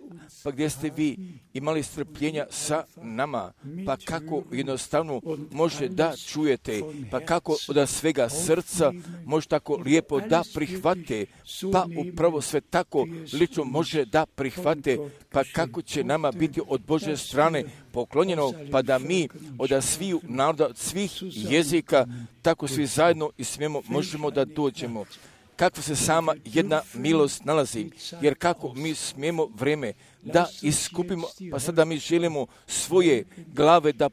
Speaker 1: pa gdje ste vi imali strpljenja sa nama, pa kako jednostavno može da čujete, pa kako od svega srca može tako lijepo da prihvate, pa upravo sve tako lično može da prihvate, pa kako će nama biti od Božje strane poklonjeno, pa da mi od sviju naroda, od svih jezika, tako svi zajedno i smijemo, možemo da dođemo. Kako se sama jedna milost nalazi, jer kako mi smijemo vreme da iskupimo, pa sada mi želimo svoje glave da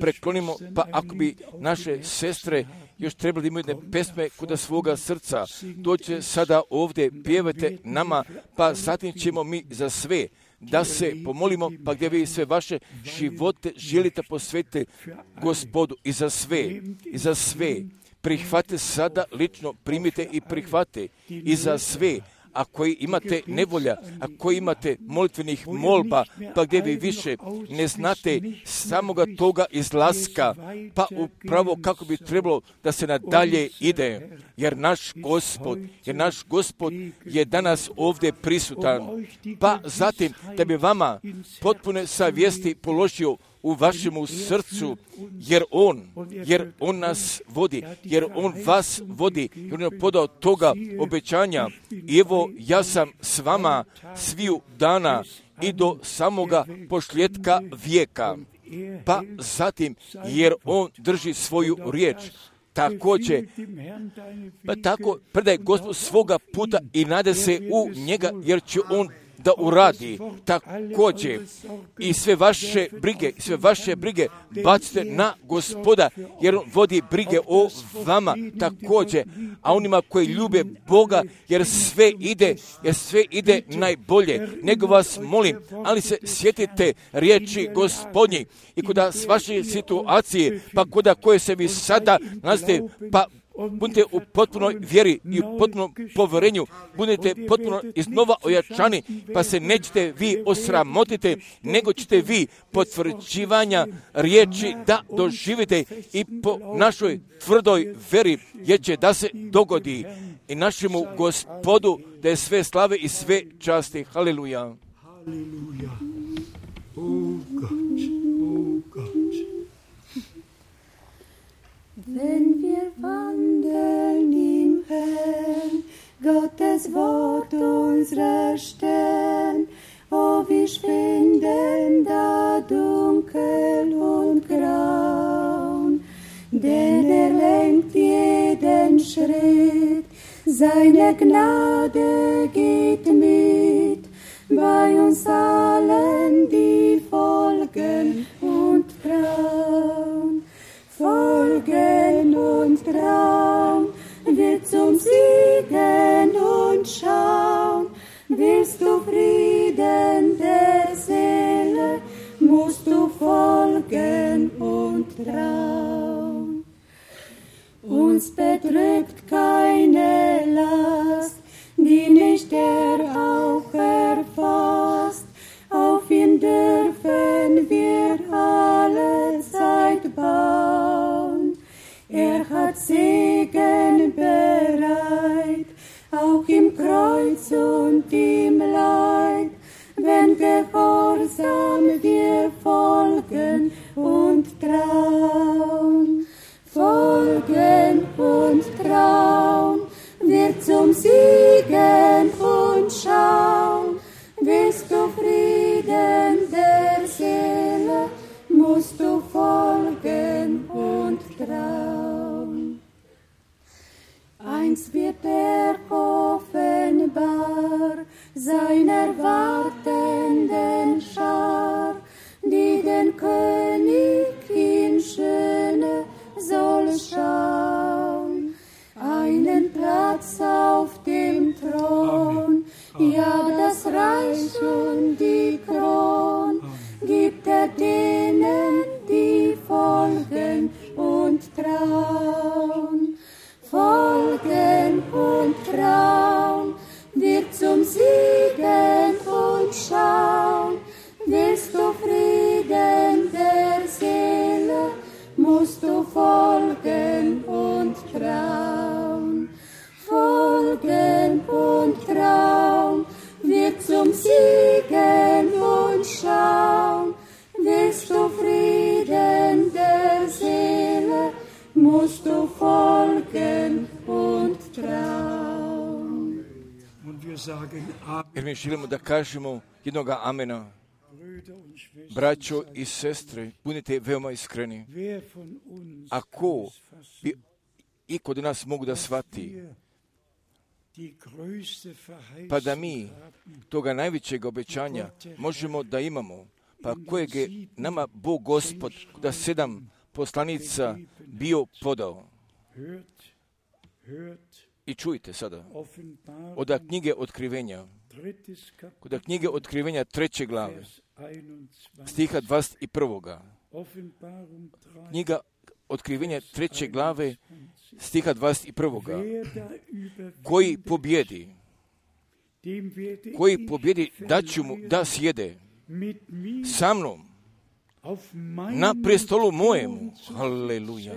Speaker 1: preklonimo, pa ako bi naše sestre još trebali da imaju jedne pesme kod svoga srca, dođe sada ovdje, pjevajte nama, pa zatim ćemo mi za sve da se pomolimo, pa gdje vi sve vaše živote želite posvetiti Gospodu i za sve, i za sve. Prihvate sada, lično primite i prihvate i za sve. Ako imate nevolja, ako imate molitvenih molba, pa gdje vi više ne znate samoga toga izlaska, pa upravo kako bi trebalo da se nadalje ide, jer naš Gospod, jer naš Gospod je danas ovdje prisutan, pa zatim da bi vama potpune savjesti položio u vašemu srcu, jer On, jer On nas vodi, jer On vas vodi, jer On je podao toga obećanja. I evo, ja sam s vama sviju dana i do samoga pošljetka vijeka. Pa zatim, jer On drži svoju riječ. Također, pa tako predaj Gospod svoga puta i nade se u njega, jer će On da uradi. Također i sve vaše brige, sve vaše brige bacite na Gospoda, jer On vodi brige o vama također, a onima koji ljube Boga, jer sve ide, jer sve ide najbolje. Nego vas molim, ali se sjetite riječi Gospodnji i kod vaše situacije, pa kod koje se vi sada nalazite, pa budite u potpunoj vjeri i u potpunom povjerenju, budete potpuno iznova ojačani, pa se nećete vi osramotiti, nego ćete vi potvrđivanja riječi da doživite i po našoj tvrdoj vjeri, jer će da se dogodi i našemu Gospodu da je sve slave i sve časti. Haleluja.
Speaker 2: Halleluja. Oh Gott, oh Gott.
Speaker 3: Wenn wir wandeln im Herrn, Gottes Wort unsere Stern, oh, wir schwinden da dunkel und graun, denn er lenkt jeden Schritt, seine Gnade geht mit, bei uns allen, die folgen und trauen. Folgen und trauen, wird zum Siegen und schauen. Willst du Frieden der Seele, musst du folgen und trauen. Uns bedrückt keine Last, die nicht er auch erfasst. Auf ihn dürfen wir alle Zeit bauen. Er hat Segen bereit, auch im Kreuz und im Leid, wenn gehorsam wir folgen und trauen. Folgen und trauen, wir zum Siegen und schauen. Willst du Frieden der Seele, musst du folgen und trauen. Einst wird er offenbar seiner wartenden Schar, die den König in Schöne soll schauen, einen Platz auf dem Thron, ja, das Reich und die Kron gibt er denen, die folgen und trauen. Folgen und trauen, wird zum Siegen und schauen. Willst du Frieden der Seele, musst du folgen und trauen. Folgen und trauen, wird zum Siegen und schauen. Willst du Frieden der Seele,
Speaker 1: jer mi želimo da kažemo jednoga amena. Braćo i sestre, budite veoma iskreni. Ako bi i kod nas mogu da shvati, pa da mi toga najvećeg obećanja možemo da imamo, pa kojeg je nama Bog Gospod da sedam poslanica bio podao. I čujte sada, od knjige Otkrivenja, kod knjige Otkrivenja treće glave, stiha dvadeset prvoga. Knjiga Otkrivenja treće glave, stiha dvadeset prvoga. Koji pobjedi, koji pobjedi daću mu da sjede sa mnom na prestolu mojemu. Haleluja.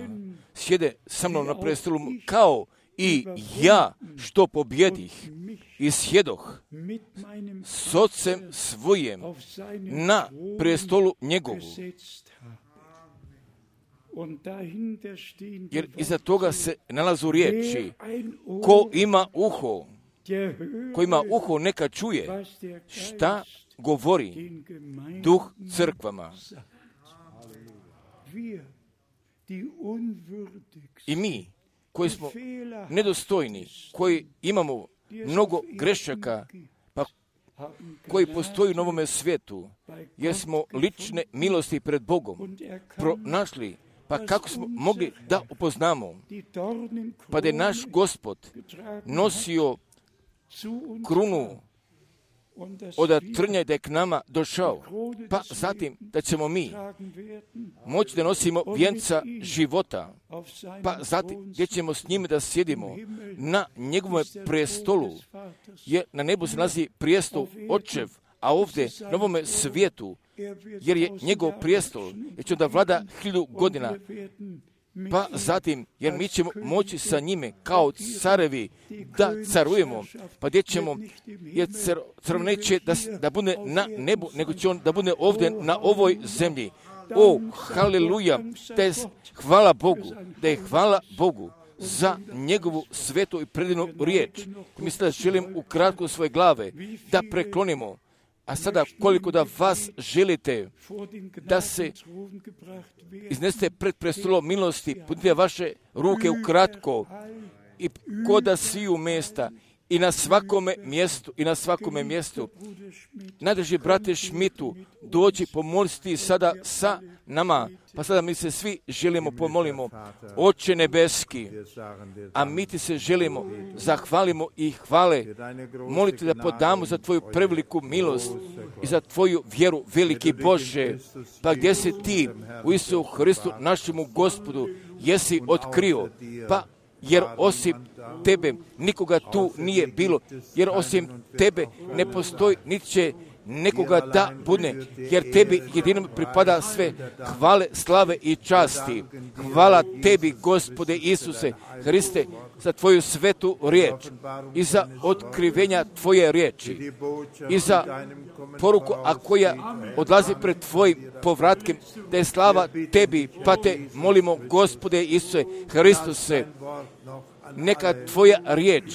Speaker 1: Sjede sa mnom na prestolu kao i ja što pobjedih i sjedoh s ocem svojem na prestolu njegovu. Jer iza toga se nalazu riječi: ko ima uho, ko ima uho neka čuje šta govori Duh crkvama. I mi koji smo nedostojni, koji imamo mnogo grešaka, pa koji postoji u novome svijetu, jer smo lične milosti pred Bogom pronašli, pa kako smo mogli da upoznamo, pa da je naš Gospod nosio krunu od trnja i da je k nama došao, pa zatim da ćemo mi moći da nosimo vijenca života, pa zatim gdje ćemo s njime da sjedimo na njegovom prestolu, jer na nebu se nalazi prijestol Očev, a ovdje na ovome svijetu, jer je njegov prijestol, jer će da vlada hiljadu godina, pa zatim, jer mi ćemo moći sa njime kao carevi da carujemo, pa gdje ćemo, jer car neće da, da bude na nebu, nego će on da bude ovdje na ovoj zemlji. O, haleluja, da je hvala Bogu, da je hvala Bogu za njegovu svetu i predivnu riječ. Mislim da želim ukratko svoje glave da preklonimo. A sada koliko da vas želite da se iznesete pred prestolom milosti, podignite vaše ruke ukratko i koda sviju mjesta i na svakome mjestu i na svakome mjestu. Najdrži brate Šmitu, dođi pomoliti sada sa nama. Pa sada mi se svi želimo pomolimo. Oče nebeski, a mi ti se želimo, zahvalimo i hvale. Molite da podamo za tvoju preveliku milost i za tvoju vjeru, veliki Bože. Pa gdje si ti u Isusu Hristu, našemu Gospodu, jesi otkrio, pa jer osim tebe nikoga tu nije bilo, jer osim tebe ne postoji niti će nekoga da bude, jer tebi jedinom pripada sve hvale, slave i časti. Hvala tebi, Gospode Isuse Hriste, za tvoju svetu riječ i za otkrivenja tvoje riječi i za poruku, a koja odlazi pred tvojim povratkem, da je slava tebi, pa te molimo, Gospode Isuse Hristuse, neka tvoja riječ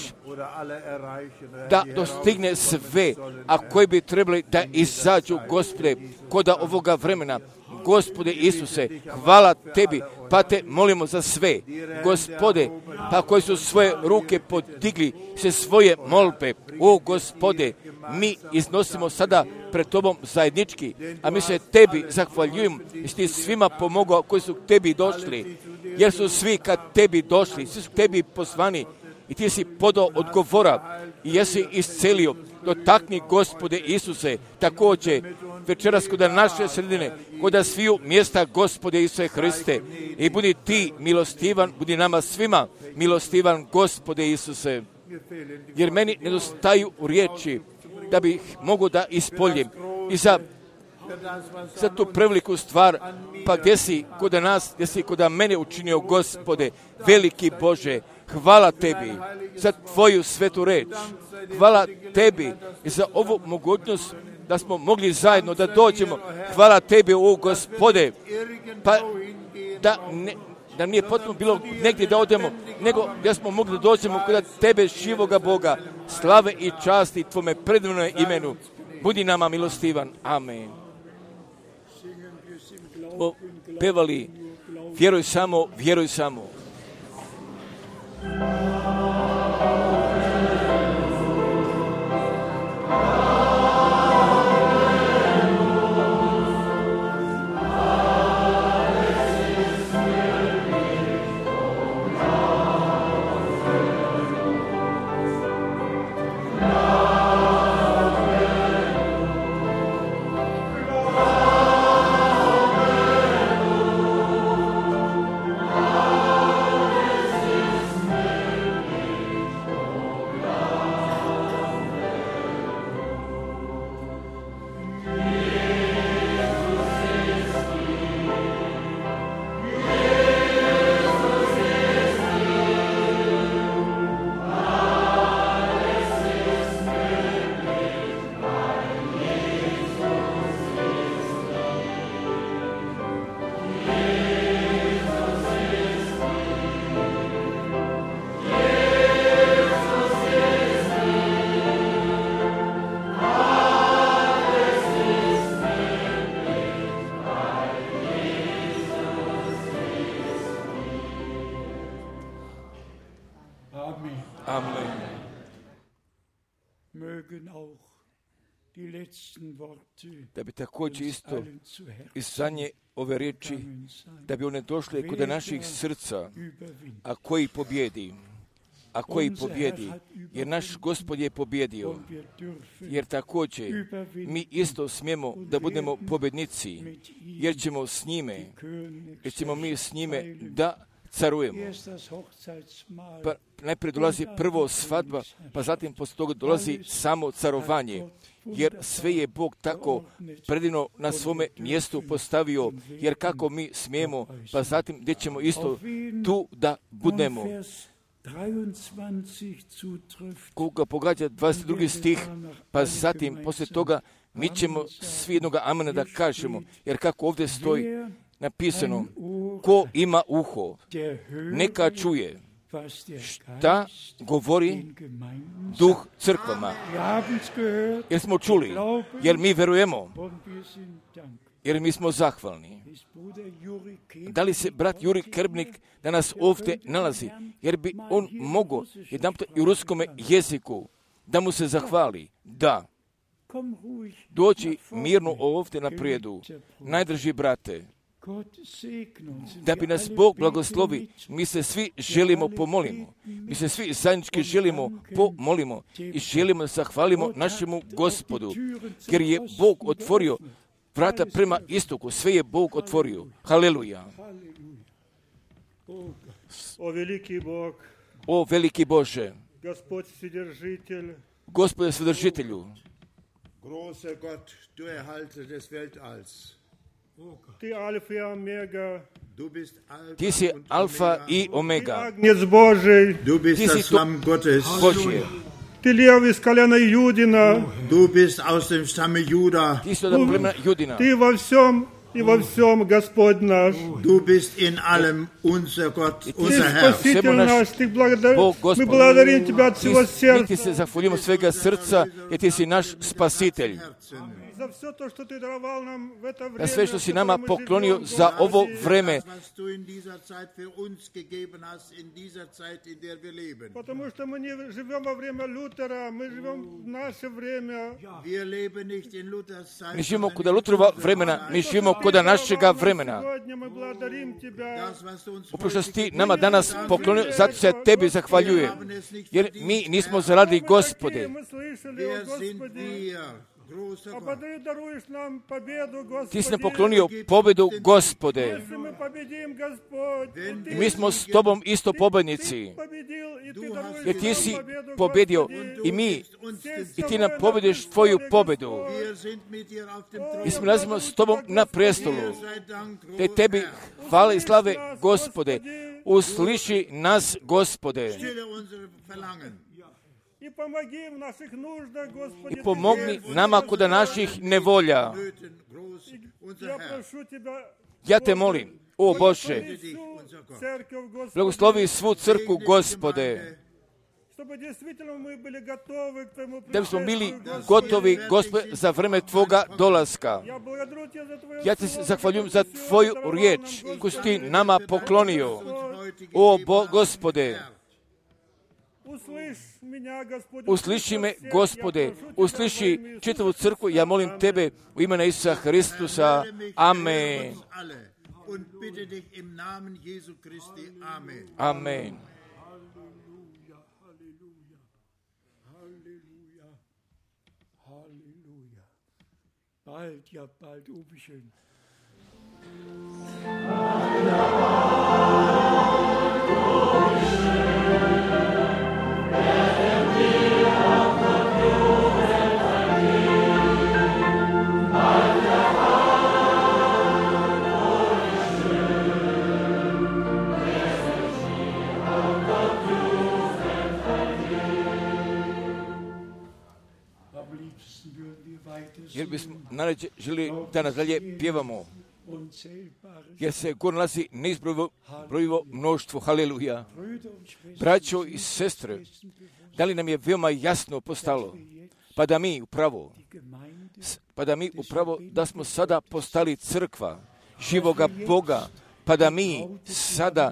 Speaker 1: da dostigne sve, a koji bi trebali da izađu, Gospode, koda ovoga vremena. Gospode Isuse, hvala tebi, pa te molimo za sve. Gospode, pa koji su svoje ruke podigli se svoje molbe, o Gospode, mi iznosimo sada pred tobom zajednički, a mi se tebi zahvaljujemo i si ti svima pomogao koji su k tebi došli, jer su svi kad tebi došli, svi su k tebi poslani i ti si podao odgovora i jesi iscelio. Dotakni, Gospode Isuse, također večeras kod naše sredine, kod sviju mjesta, Gospode Isuse Hriste, i budi ti milostivan, budi nama svima milostivan, Gospode Isuse, jer meni nedostaju riječi da bih mogu da ispoljem i za, za tu preveliku stvar, pa gdje si kod nas, gdje si kod mene učinio, Gospode, veliki Bože. Hvala tebi za tvoju svetu reč. Hvala tebi i za ovu mogućnost da smo mogli zajedno da dođemo. Hvala tebi, o Gospode, pa da ne, da nije potrebno bilo negdje da odemo, nego da smo mogli da dođemo kod Tebe, živoga Boga, slave i časti Tvome predivnom imenu. Budi nama milostivan. Amen. Smo pevali, vjeruj samo, vjeruj samo. Da bi također isto iz zadnje ove riječi, da bi one došle kod naših srca, a koji pobjedi, a koji pobjedi, jer naš Gospod je pobjedio, jer također mi isto smijemo da budemo pobjednici, jer ćemo s njime, jer ćemo mi s njime da carujemo. Pa najprije dolazi prvo svadba, pa zatim poslije toga dolazi samo carovanje, jer sve je Bog tako predivno na svome mjestu postavio, jer kako mi smijemo, pa zatim gdje ćemo isto tu da budemo. Koga pogađa dvadeset drugi stih, pa zatim poslije toga mi ćemo svi jednoga amena da kažemo, jer kako ovdje stoji napisano, ko ima uho, neka čuje šta govori Duh crkvama. Jer smo čuli, jer mi verujemo, jer mi smo zahvalni. Da li se brat Juri Krbnik danas ovdje nalazi, jer bi on mogao jedanput i u ruskome jeziku da mu se zahvali? Da. Doći mirno ovdje na prijedu, najdrži brate, da bi nas Bog blagoslovi, mi se svi želimo pomolimo. Mi se svi zajednički želimo pomolimo i želimo da zahvalimo našemu Gospodu, jer je Bog otvorio vrata prema istoku. Sve je Bog otvorio. Haleluja.
Speaker 2: O veliki Bog,
Speaker 1: o veliki Bože,
Speaker 2: Gospod Vседержителj,
Speaker 1: Gospode Vседržitelju,
Speaker 4: großer Gott, du Erhalter des Weltalls.
Speaker 2: Ti Alfa i Omega,
Speaker 4: Du bist Alpha
Speaker 1: Ti si
Speaker 4: und
Speaker 1: Alfa
Speaker 4: Omega.
Speaker 1: i
Speaker 2: Ti
Speaker 1: Omega.
Speaker 2: Agnec Božij,
Speaker 4: Du bist
Speaker 1: Ti si
Speaker 4: das
Speaker 1: to-
Speaker 4: Lamm Gottes.
Speaker 1: Božje.
Speaker 2: Ti Lev iz koljena Judina,
Speaker 4: Du bist aus dem Stamme Juda.
Speaker 1: Ti si od plemena Judina.
Speaker 2: Ti во всем и во всем Господь наш.
Speaker 4: Du bist in allem unser Gott,
Speaker 2: Ты
Speaker 4: unser Herr.
Speaker 2: Спаситель
Speaker 1: Всему наш
Speaker 2: наш, Ты благодар...
Speaker 1: Бог, Господь.
Speaker 2: мы благодарим Тебя от
Speaker 1: Ti,
Speaker 2: всего
Speaker 1: mi
Speaker 2: сердца
Speaker 1: ti se zahvaljujemo svega srca, jer ti si naš spasitelj.
Speaker 2: за все то, что Ты даровал нам в это время,
Speaker 1: Na sve što si
Speaker 2: в
Speaker 1: nama
Speaker 2: котором мы
Speaker 1: poklonio
Speaker 2: живем,
Speaker 1: za ovo vreme,
Speaker 4: Das, was du in dieser Zeit für uns gegeben hast, in dieser Zeit, in der wir leben.
Speaker 2: Потому что мы не живем во время Лютера, мы живем в наше время.
Speaker 4: Wir leben nicht in Luthers Zeit.
Speaker 1: mi živimo
Speaker 4: sondern
Speaker 1: kod
Speaker 4: in
Speaker 1: Lutrova
Speaker 4: unserer
Speaker 1: vremena,
Speaker 4: Zeit.
Speaker 1: mi živimo kod našega
Speaker 2: Даровал нам
Speaker 1: vremena.
Speaker 2: Сегодня мы благодарим Тебя.
Speaker 4: Das, was du uns
Speaker 1: Upravo što si ti
Speaker 4: heute
Speaker 1: nama danas poklonio, zato se tebi zahvaljujem. Jer mi nismo zaradili Gospode.
Speaker 2: Мы слышали, о
Speaker 4: Wer sind
Speaker 2: Господи,
Speaker 4: wir, großer
Speaker 2: а
Speaker 4: Gott?
Speaker 2: Ты даруешь нам победу,
Speaker 1: Ti si nam
Speaker 2: Господи.
Speaker 1: poklonio pobedu, Gospode.
Speaker 2: Если мы победим, Господь, и
Speaker 1: I
Speaker 2: Ты
Speaker 1: mi smo s tobom isto pobednici.
Speaker 2: победил, и Ты даруешь
Speaker 1: Jer ti
Speaker 2: нам
Speaker 1: si
Speaker 2: победу,
Speaker 1: pobedio
Speaker 2: Господи.
Speaker 1: i mi,
Speaker 4: Uns
Speaker 1: i ti nam pobediš tvoju pobedu.
Speaker 4: Wir sind mit dir auf dem Thron.
Speaker 1: Mi smo nalazimo s tobom na prestolu.
Speaker 4: Dir sei Dank,
Speaker 1: Te
Speaker 4: großer
Speaker 1: tebi
Speaker 4: Herr.
Speaker 1: hvale i slave, Gospode. Usliši nas, Gospode.
Speaker 4: Stille unsere Verlangen.
Speaker 2: И помоги в наших нуждах, Господи.
Speaker 1: I pomogni nama kod naših nevolja.
Speaker 4: Nöten groß, unser
Speaker 2: Я
Speaker 4: Herr.
Speaker 2: прошу Тебя,
Speaker 1: Ja te molim, o Bože, blagoslovi svu crkvu, Gospode, da bismo bili gotovi, Gospode, za vreme Tvoga dolaska. Ja ti se zahvaljujem za Tvoju riječ koju si ti nama poklonio. O Bo, Gospode, usliši me, Gospode, usliši čitavu crkvu, ja molim Tebe u imena Isusa Hristusa. Amen. Amen.
Speaker 5: Bald, ja bald, oh wie schön.
Speaker 1: Jer bismo najrađe želi da nadalje pjevamo, jer se gore nalazi neizbrojivo mnoštvo. Haleluja. Braćo i sestre, da li nam je veoma jasno postalo, pa da mi upravo, pa da mi upravo da smo sada postali crkva živoga Boga, pa da mi sada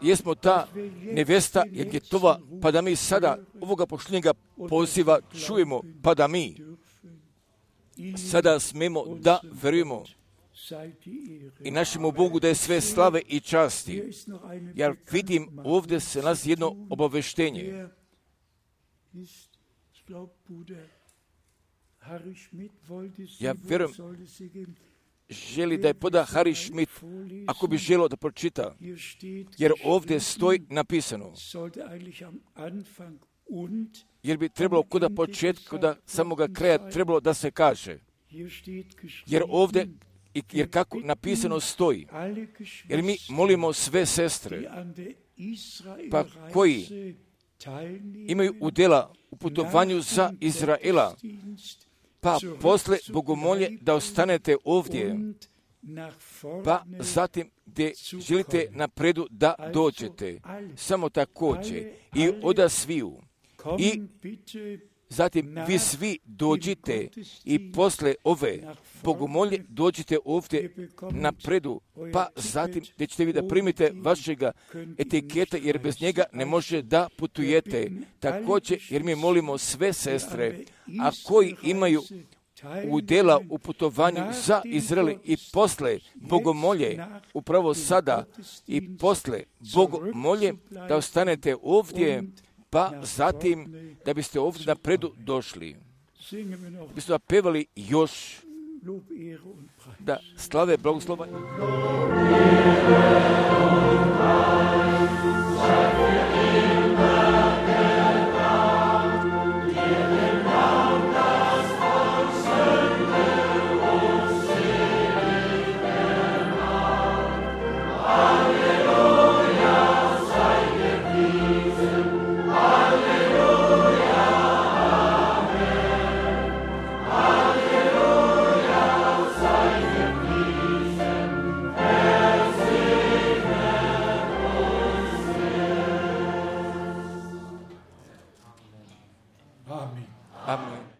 Speaker 1: jesmo ta nevesta Jetova, pa da mi sada ovoga pošljenjega poziva čujemo, pa da mi sada smemo da verujemo i našemu Bogu da je sve slave i časti. Ja vidim, ovdje se nalazi jedno obaveštenje. Ja vjerujem, želi da je poda Harry Schmidt, ako bi želio da pročita, jer ovdje stoji napisano, jer bi trebalo kuda početka, kuda samoga kraja trebalo da se kaže. Jer ovdje, jer kako napisano stoji, jer mi molimo sve sestre, pa koji imaju udjela u putovanju za Izraela, pa posle bogomolje da ostanete ovdje, pa zatim gdje želite napredu da dođete, samo također i oda sviju. I zatim vi svi dođite i posle ove bogomolje dođite ovdje napredu, pa zatim gdje ćete vi da primite vašega etiketa, jer bez njega ne može da putujete. Također, jer mi molimo sve sestre, a koji imaju udjela u putovanju za Izrael i posle bogomolje, upravo sada i posle bogomolje, da ostanete ovdje, pa zatim da biste ovdje napredu došli. Biste da pevali još da slave blagoslova. Amen.